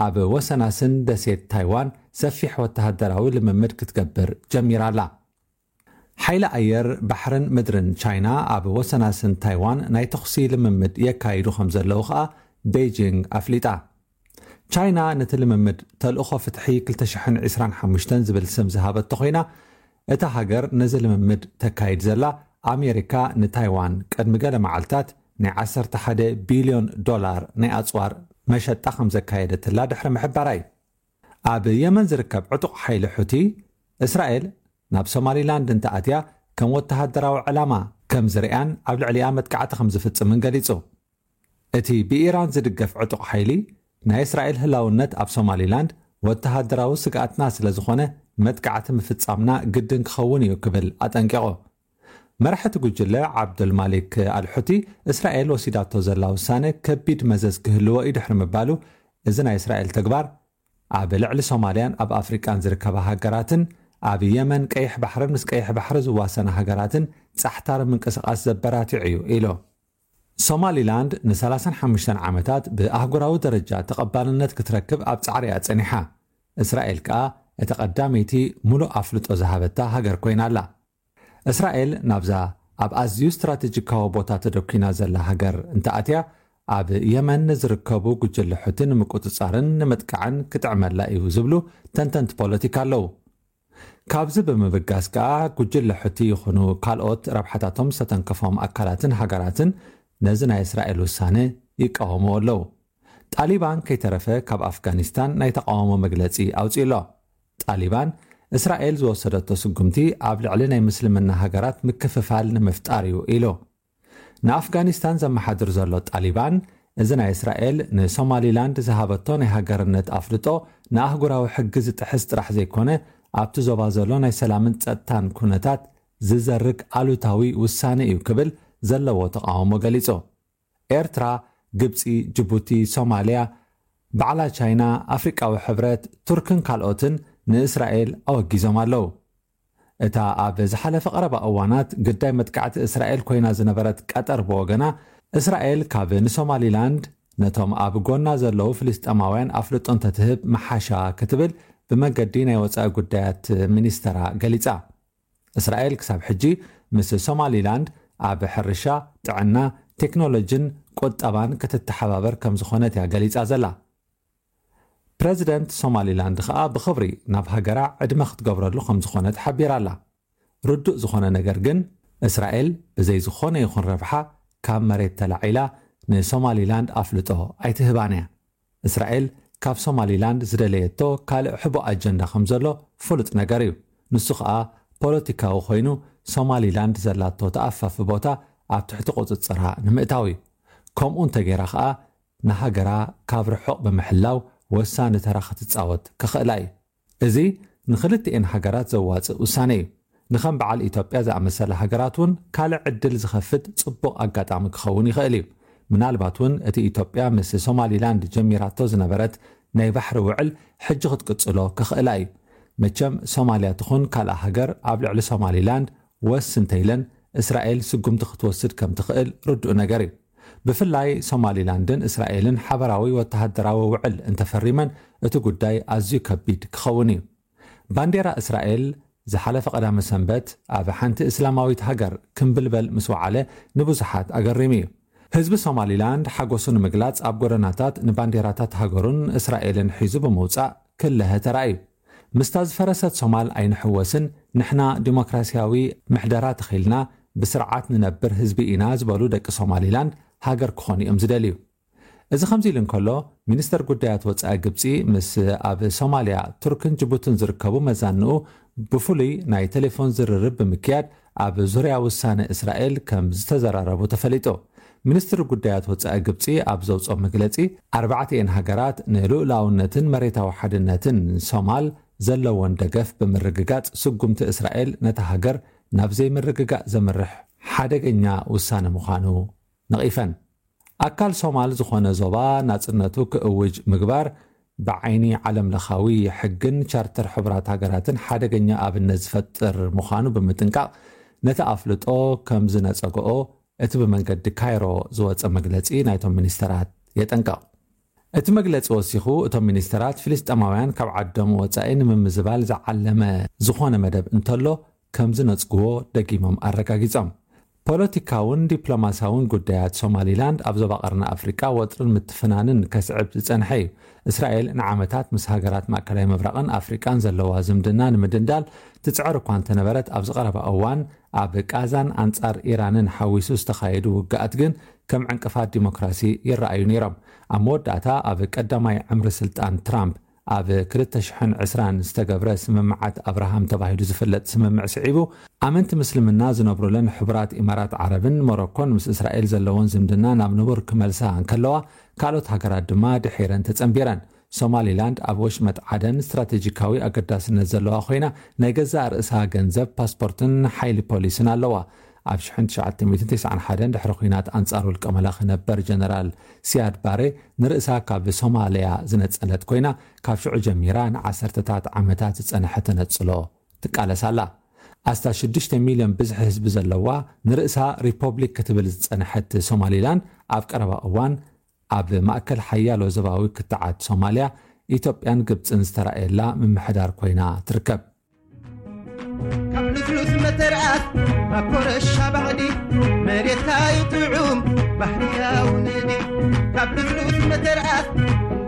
ኣብ ወሰናስን ደሴት ታይዋን ሰፊሕ ወተሃደራዊ ልምምድ ክትገብር ጀሚራ ኣላ። ሓይሊ ኣየር፣ ባሕርን ምድርን ቻይና ኣብ ወሰናስን ታይዋን ናይ ተኹሲ ልምምድ የካይዱ ከም ዘለዉ ከኣ ቤይጂንግ ኣፍሊጣ። ቻይና ነቲ ልምምድ ተልእኾ ፍትሒ ክልተ ሽሕን ዕስራን ሓሙሽተን ዝብል ስም ዝሃበቶ ኮይና፣ እታ ሃገር ነዚ ልምምድ ተካይድ ዘላ፣ ኣሜሪካ ንታይዋን ቅድሚ ገለ መዓልታት ናይ ዓሰርተ ሓደ ቢልዮን ዶላር ናይ ኣጽዋር መሸጣ ከም ዘካየደትላ ድሕሪ ምሕባራ እዩ። ኣብ የመን ዝርከብ ዕጡቕ ሓይሊ ሑቲ፣ እስራኤል ናብ ሶማሊላንድ እንተኣትያ ከም ወተሃደራዊ ዕላማ ከም ዝርእያን ኣብ ልዕሊኣ መጥቃዕቲ ከም ዝፍጽምን ገሊጹ። እቲ ብኢራን ዝድገፍ ዕጡቕ ሓይሊ፣ ናይ እስራኤል ህላውነት ኣብ ሶማሊላንድ ወተሃደራዊ ስግኣትና ስለ ዝኾነ፣ መጥቃዕቲ ምፍጻምና ግድን ክኸውን እዩ ክብል ኣጠንቂቑ። መራሒ እቲ ጉጅለ ዓብዱልማሊክ ኣልሑቲ፣ እስራኤል ወሲዳቶ ዘላ ውሳነ ከቢድ መዘዝ ክህልዎ እዩ ድሕሪ ምባሉ፣ እዚ ናይ እስራኤል ተግባር ኣብ ልዕሊ ሶማልያን ኣብ ኣፍሪቃን ዝርከባ ሃገራትን ኣብ የመን፣ ቀይሕ ባሕርን ምስ ቀይሕ ባሕሪ ዝዋሰና ሃገራትን ጻሕታሪ ምንቅስቓስ ዘበራትዕ እዩ ኢሉ። ሶማሊላንድ ን35 ዓመታት ብኣህጉራዊ ደረጃ ተቐባልነት ክትረክብ ኣብ ጻዕሪ እያ ጸኒሓ። እስራኤል ከኣ እቲ ቀዳመይቲ ሙሉእ ኣፍልጦ ዝሃበታ ሃገር ኮይና ኣላ። እስራኤል ናብዛ ኣብ ኣዝዩ ስትራቴጂካዊ ቦታ ተደኲና ዘላ ሃገር እንተኣትያ፣ ኣብ የመን ንዝርከቡ ጉጅለ ሑቲ ንምቁጽጻርን ንምጥቃዕን ክጥዕመላ እዩ ዝብሉ ተንተንቲ ፖለቲካ ኣለዉ። ካብዚ ብምብጋስ ከኣ፣ ጉጅለ ሑቲ ይኹኑ ካልኦት ረብሓታቶም ዝተተንከፎም ኣካላትን ሃገራትን ነዚ ናይ እስራኤል ውሳነ ይቃወምዎ ኣለዉ። ጣሊባን ከይተረፈ ካብ ኣፍጋኒስታን ናይ ተቃውሞ መግለጺ ኣውጺኡ ኣሎ። ጣሊባን፣ እስራኤል ዝወሰደቶ ስጉምቲ ኣብ ልዕሊ ናይ ምስልምና ሃገራት ምክፍፋል ንምፍጣር እዩ ኢሉ። ንኣፍጋኒስታን ዘመሓድር ዘሎ ጣሊባን፣ እዚ ናይ እስራኤል ንሶማሊላንድ ዝሃበቶ ናይ ሃገርነት ኣፍልጦ ንኣህጉራዊ ሕጊ ዝጥሕስ ጥራሕ ዘይኮነ፣ ኣብቲ ዞባ ዘሎ ናይ ሰላምን ጸጥታን ኩነታት ዝዘርግ ኣሉታዊ ውሳነ እዩ ክብል ዘለዎ ተቃውሞ ገሊጹ። ኤርትራ፣ ግብጺ፣ ጅቡቲ፣ ሶማልያ፣ ባዕላ ቻይና፣ ኣፍሪቃዊ ሕብረት፣ ቱርክን ካልኦትን ንእስራኤል ኣወጊዞም ኣለዉ። እታ ኣብ ዝሓለፈ ቀረባ እዋናት ግዳይ መጥቃዕቲ እስራኤል ኮይና ዝነበረት ቀጠር ብወገና፣ እስራኤል ካብ ንሶማሊላንድ ነቶም ኣብ ጎና ዘለዉ ፍልስጤማውያን ኣፍልጦ እንተትህብ ምሓሻ ክትብል ብመገዲ ናይ ወጻኢ ጉዳያት ሚኒስተራ ገሊጻ። እስራኤል ክሳብ ሕጂ ምስ ሶማሊላንድ ኣብ ሕርሻ፣ ጥዕና፣ ቴክኖሎጂን ቁጠባን ክትተሓባበር ከም ዝኾነት እያ ገሊጻ ዘላ። ፕረዚደንት ሶማሊላንድ ከኣ ብኽብሪ ናብ ሃገራ ዕድመ ክትገብረሉ ከም ዝኾነት ሓቢራ ኣላ። ርዱእ ዝኾነ ነገር ግን፣ እስራኤል ብዘይ ዝኾነ ይኹን ረብሓ ካብ መሬት ተላዒላ ንሶማሊላንድ ኣፍልጦ ኣይትህባን እያ። እስራኤል ካብ ሶማሊላንድ ዝደለየቶ ካልእ ሕቡእ ኣጀንዳ ከም ዘሎ ፍሉጥ ነገር እዩ። ንሱ ከኣ ፖለቲካዊ ኮይኑ፣ ሶማሊላንድ ዘላቶ ተኣፋፊ ቦታ ኣብ ትሕቲ ቁጽጽራ ንምእታው እዩ። ከምኡ እንተገይራ ከኣ፣ ንሃገራ ካብ ርሑቕ ብምሕላው ወሳኒ ተራ ክትጻወት ክኽእላ እዩ። እዚ ንኽልቲኤን ሃገራት ዘዋጽእ ውሳነ እዩ። ንኸም በዓል ኢትዮጵያ ዝኣመሰላ ሃገራት እውን ካልእ ዕድል ዝኸፍት ጽቡቕ ኣጋጣሚ ክኸውን ይኽእል እዩ። ምናልባት እውን እቲ ኢትዮጵያ ምስ ሶማሊላንድ ጀሚራቶ ዝነበረት ናይ ባሕሪ ውዕል ሕጂ ክትቅጽሎ ክኽእላ እዩ። መቸም ሶማልያ ትኹን ካልኣ ሃገር ኣብ ልዕሊ ሶማሊላንድ ወስ እንተኢለን፣ እስራኤል ስጉምቲ ክትወስድ ከም ትኽእል ርዱእ ነገር እዩ። ብፍላይ ሶማሊላንድን እስራኤልን ሓበራዊ ወተሃደራዊ ውዕል እንተፈሪመን፣ እቲ ጉዳይ ኣዝዩ ከቢድ ክኸውን እዩ። ባንዴራ እስራኤል ዝሓለፈ ቀዳመ ሰንበት ኣብ ሓንቲ እስላማዊት ሃገር ክምብልበል ምስ ወዓለ፣ ንብዙሓት ኣገሪሙ እዩ። ህዝቢ ሶማሊላንድ ሓጎሱ ንምግላጽ ኣብ ጎደናታት ንባንዴራታት ሃገሩን እስራኤልን ሒዙ ብምውጻእ ክለሀ ተራእዩ። ምስታ ዝፈረሰት ሶማል ኣይንሕወስን፣ ንሕና ዲሞክራሲያዊ ምሕደራ ተኺልና ብስርዓት ንነብር ህዝቢ ኢና ዝበሉ ደቂ ሶማሊላንድ ሃገር ክኾኑ እዮም ዝደልዩ። እዚ ከምዚ ኢሉ እንከሎ፣ ሚኒስተር ጉዳያት ወጻኢ ግብጺ ምስ ኣብ ሶማልያ፣ ቱርክን ጅቡትን ዝርከቡ መዛንኡ ብፍሉይ ናይ ቴሌፎን ዝርርብ ብምክያድ ኣብ ዙርያ ውሳነ እስራኤል ከም ዝተዘራረቡ ተፈሊጡ። ሚኒስትሪ ጉዳያት ወጻኢ ግብጺ ኣብ ዘውጽኦ መግለጺ፣ ኣርባዕቲኤን ሃገራት ንልኡላውነትን መሬታዊ ሓድነትን ሶማል ዘለወን ደገፍ ብምርግጋጽ፣ ስጉምቲ እስራኤል ነታ ሃገር ናብ ዘይምርግጋእ ዘምርሕ ሓደገኛ ውሳነ ምዃኑ ነቒፈን። ኣካል ሶማል ዝኾነ ዞባ ናጽነቱ ክእውጅ ምግባር ብዓይኒ ዓለም ለኻዊ ሕግን ቻርተር ሕቡራት ሃገራትን ሓደገኛ ኣብነት ዝፈጥር ምዃኑ ብምጥንቃቕ፣ ነቲ ኣፍልጦ ከም ዝነጸግኦ እቲ ብመንገዲ ካይሮ ዝወጸ መግለጺ ናይቶም ሚኒስተራት የጠንቅቕ። እቲ መግለጺ ወሲኹ፣ እቶም ሚኒስተራት ፍልስጤማውያን ካብ ዓዶም ወጻኢ ንምምዝባል ዝዓለመ ዝኾነ መደብ እንተሎ ከም ዝነጽግዎ ደጊሞም ኣረጋጊጾም። ፖለቲካውን ዲፕሎማሲያውን ጉዳያት ሶማሊላንድ ኣብ ዞባ ቀርኒ ኣፍሪቃ ወጥርን ምትፍናንን ከስዕብ ዝጸንሐ እዩ። እስራኤል ንዓመታት ምስ ሃገራት ማእከላይ ምብራቕን ኣፍሪቃን ዘለዋ ዝምድና ንምድንዳል ትጽዕር እኳ እንተነበረት፣ ኣብዚ ቀረባ እዋን ኣብ ቃዛን ኣንጻር ኢራንን ሓዊሱ ዝተኻየዱ ውግኣት ግን ከም ዕንቅፋት ዲሞክራሲ ይረኣዩ ነይሮም። ኣብ መወዳእታ፣ ኣብ ቀዳማይ ዕምሪ ስልጣን ትራምፕ ኣብ ክልተ ሽሕን ዕስራን ዝተገብረ ስምምዓት ኣብርሃም ተባሂሉ ዝፍለጥ ስምምዕ ስዒቡ፣ ኣመንቲ ምስልምና ዝነብሩለን ሕቡራት ኢማራት ዓረብን ሞሮኮን ምስ እስራኤል ዘለዎን ዝምድና ናብ ንቡር ክመልሳ እንከለዋ፣ ካልኦት ሃገራት ድማ ድሒረን ተጸንቢረን። ሶማሊላንድ ኣብ ወሽመጥ ዓደን ስትራቴጂካዊ ኣገዳስነት ዘለዋ ኮይና፣ ናይ ገዛእ ርእሳ ገንዘብ፣ ፓስፖርትን ሓይሊ ፖሊስን ኣለዋ። ኣብ ሽሕን ትሽዓተ ሚእትን ተስዓን ሓደን ድሕሪ ኲናት ኣንጻር ውልቀ መላኺ ነበር ጀነራል ሲያድ ባሬ ንርእሳ ካብ ሶማልያ ዝነጸለት ኮይና፣ ካብ ሽዑ ጀሚራ ንዓሰርተታት ዓመታት ዝጸንሐ ተነጽሎ ትቃለስ ኣላ። ኣስታት ሽዱሽተ ሚልዮን ብዝሒ ህዝቢ ዘለዋ፣ ንርእሳ ሪፖብሊክ ክትብል ዝጸንሐት ሶማሊላንድ፣ ኣብ ቀረባ እዋን ኣብ ማእከል ሓያሎ ዞባዊ ክትዓት ሶማልያ፣ ኢትዮጵያን ግብጽን ዝተራእየላ ምምሕዳር ኮይና ትርከብ። ካብ ልስሉስ መተርኣስ ናብ ኮረሻ ባዕዲ፣ መሬትካ እዩ ጥዑም ባህርያዊ ንዲ። ካብ ልስሉስ መተርኣስ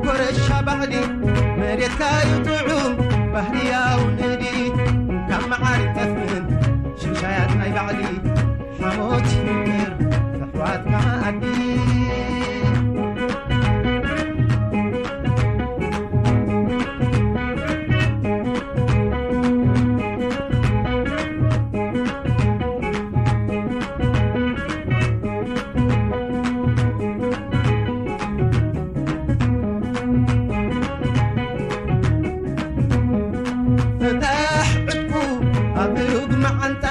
ኮረሻ ባዕዲ፣ መሬትካ እዩ ጥዑም ባህርያዊ ንዲ። ካብ መዓር ጠስምን ሽሻያት ናይ ባዕዲ፣ ሓሞት ይፍቅር ኣሕዋት መኣዲ። ፍታሕ ዕጥቁ ኣብ ሩግ መዓንጣ፣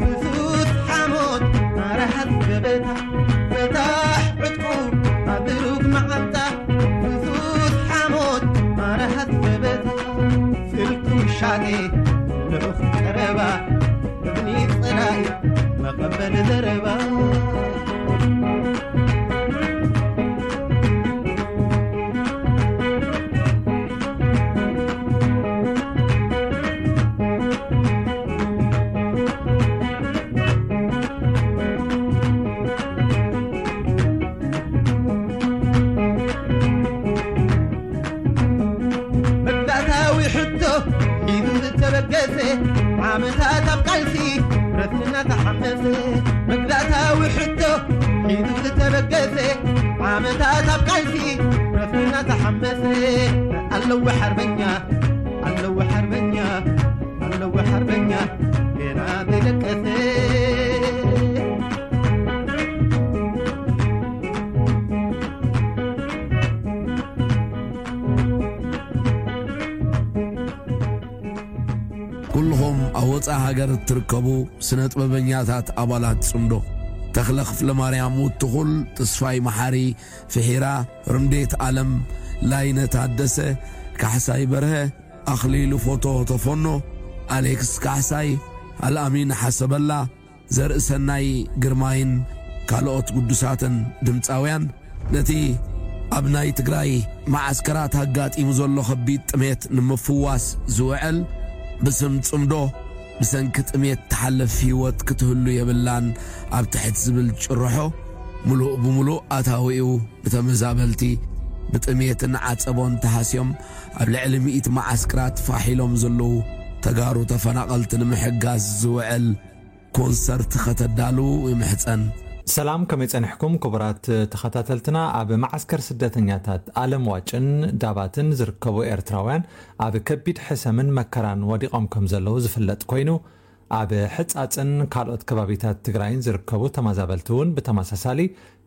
ፍሱስ ሓሞት ኣረሃት ገበታ። ፍታሕ ዕጥቁ ኣብ ሩግ መዓንጣ፣ ፍሱስ ሓሞት ኣረሃት ገበታ። ስልቱ ሻቴ ልኡኽ ቀረባ፣ እብኒ ጸላኢ መቐበል ዘረባ። መግዛእታዊ ሕቶ ሒዙ ዝተበገሰ፣ ዓመታት ኣብ ቃልሲ ረስንና ተሓመሰ። መግዛእታዊ ሕቶ ሒዙ ዝተበገሰ፣ ዓመታት ኣብ ቃልሲ ረስንና ተሓመሰ። ኣለዎ ሓርበኛ፣ ኣለዎ ሓርበኛ፣ ኣለዎ ሓርበኛ ገና ዘይደቀሰ። ኩልኹም ኣብ ወጻኢ ሃገር እትርከቡ ስነ ጥበበኛታት ኣባላት ጽምዶ፣ ተኽለ ክፍለ ማርያም ውትኹል፣ ተስፋይ መሓሪ፣ ፍሒራ፣ ርምዴት ኣለም፣ ላይነ ታደሰ፣ ካሕሳይ በርሀ፣ ኣኽሊሉ ፎቶ ተፎኖ፣ ኣሌክስ ካሕሳይ፣ ኣልኣሚን ሓሰበላ፣ ዘርእሰናይ ግርማይን ካልኦት ግዱሳትን ድምጻውያን፣ ነቲ ኣብ ናይ ትግራይ መዓስከራት ኣጋጢሙ ዘሎ ከቢድ ጥሜት ንምፍዋስ ዝውዕል፣ ብስም ጽምዶ ብሰንኪ ጥሜት ትሓልፍ ህይወት ክትህሉ የብላን ኣብ ትሕቲ ዝብል ጭርሖ፣ ምሉእ ብምሉእ ኣታዊኡ ብተመዛበልቲ፣ ብጥሜትን ዓጸቦን ተሃስዮም ኣብ ልዕሊ ሚእቲ መዓስከራት ፋሕ ኢሎም ዘለዉ ተጋሩ ተፈናቐልቲ ንምሕጋዝ ዝውዕል ኮንሰርት ከተዳልዉ ይምሕጸን። ሰላም፣ ከመይ ጸኒሕኩም ክቡራት ተኸታተልትና? ኣብ መዓስከር ስደተኛታት ኣለም ዋጭን ዳባትን ዝርከቡ ኤርትራውያን ኣብ ከቢድ ሕሰምን መከራን ወዲቖም ከም ዘለዉ ዝፍለጥ ኮይኑ፣ ኣብ ሕጻጽን ካልኦት ከባቢታት ትግራይን ዝርከቡ ተመዛበልቲ እውን ብተመሳሳሊ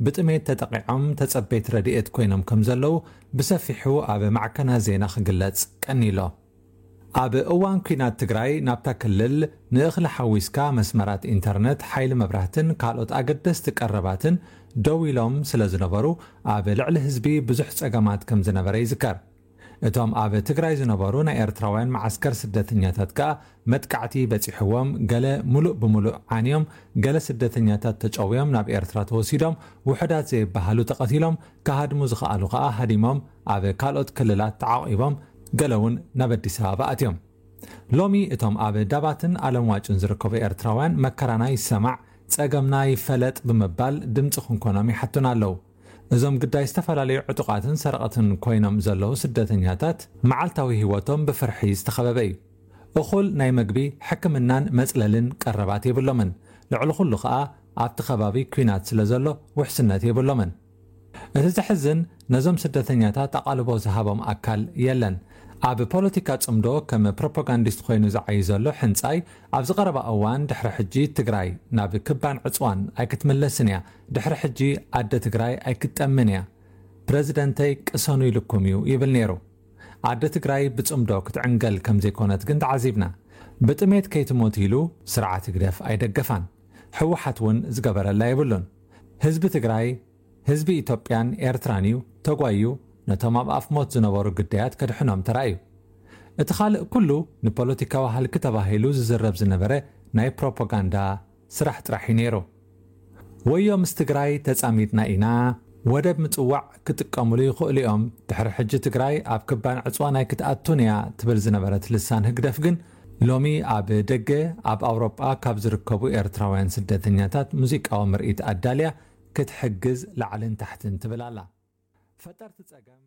ብጥሜት ተጠቒዖም ተጸበይቲ ረድኤት ኮይኖም ከም ዘለዉ ብሰፊሑ ኣብ ማዕከናት ዜና ክግለጽ ቀኒሎ። ኣብ እዋን ኲናት ትግራይ ናብታ ክልል ንእኽሊ ሓዊስካ መስመራት ኢንተርነት፣ ሓይሊ መብራህትን ካልኦት ኣገደስቲ ቀረባትን ደው ኢሎም ስለ ዝነበሩ፣ ኣብ ልዕሊ ህዝቢ ብዙሕ ጸገማት ከም ዝነበረ ይዝከር። እቶም ኣብ ትግራይ ዝነበሩ ናይ ኤርትራውያን መዓስከር ስደተኛታት ከኣ መጥቃዕቲ በጺሕዎም፣ ገለ ምሉእ ብምሉእ ዓንዮም፣ ገለ ስደተኛታት ተጨውዮም ናብ ኤርትራ ተወሲዶም፣ ውሑዳት ዘይበሃሉ ተቐቲሎም፣ ክሃድሙ ዝኸኣሉ ከኣ ሃዲሞም ኣብ ካልኦት ክልላት ተዓቒቦም፣ ገለ እውን ናብ ኣዲስ ኣበባ ኣትዮም። ሎሚ እቶም ኣብ ዳባትን ኣለምዋጭን ዝርከቡ ኤርትራውያን መከራና ይሰማዕ፣ ጸገምና ይፈለጥ ብምባል ድምጺ ክንኮኖም ይሓቱና ኣለዉ። እዞም ግዳይ ዝተፈላለዩ ዕጡቓትን ሰረቕትን ኮይኖም ዘለዉ ስደተኛታት መዓልታዊ ህይወቶም ብፍርሒ ዝተኸበበ እዩ። እኹል ናይ መግቢ፣ ሕክምናን መጽለልን ቀረባት የብሎምን። ልዕሊ ኩሉ ከኣ ኣብቲ ከባቢ ኲናት ስለ ዘሎ ውሕስነት የብሎምን። እቲ ዘሕዝን ነዞም ስደተኛታት ኣቓልቦ ዝሃቦም ኣካል የለን። ኣብ ፖለቲካ ጽምዶ ከም ፕሮፓጋንዲስት ኮይኑ ዝዓዩ ዘሎ ሕንጻይ፣ ኣብዚ ቀረባ እዋን ድሕሪ ሕጂ ትግራይ ናብ ክባን ዕጽዋን ኣይክትምለስን እያ፣ ድሕሪ ሕጂ ኣደ ትግራይ ኣይክትጠምን እያ፣ ፕረዚደንተይ ቅሰኑ ኢሉኩም እዩ ይብል ነይሩ። ኣደ ትግራይ ብጽምዶ ክትዕንገል ከም ዘይኮነት ግን ተዓዚብና። ብጥሜት ከይትሞት ኢሉ ስርዓት ህግደፍ ኣይደገፋን። ህወሓት እውን ዝገበረላ የብሉን። ህዝቢ ትግራይ፣ ህዝቢ ኢትዮጵያን ኤርትራን እዩ ተጓዩ፣ ነቶም ኣብ ኣፍ ሞት ዝነበሩ ግዳያት ከድሕኖም ተራእዩ። እቲ ካልእ ኩሉ ንፖለቲካዊ ሃልኪ ተባሂሉ ዝዝረብ ዝነበረ ናይ ፕሮፓጋንዳ ስራሕ ጥራሕ እዩ ነይሩ። ወዮ ምስ ትግራይ ተጻሚድና ኢና፣ ወደብ ምጽዋዕ ክጥቀምሉ ይኽእሉ እዮም፣ ድሕሪ ሕጂ ትግራይ ኣብ ክባን ዕጽዋ ናይ ክትኣቱን እያ ትብል ዝነበረት ልሳን ህግደፍ ግን ሎሚ ኣብ ደገ ኣብ ኣውሮጳ ካብ ዝርከቡ ኤርትራውያን ስደተኛታት ሙዚቃዊ ምርኢት ኣዳልያ ክትሕግዝ ላዕልን ታሕትን ትብል ኣላ። ፈጠርቲ ጸገም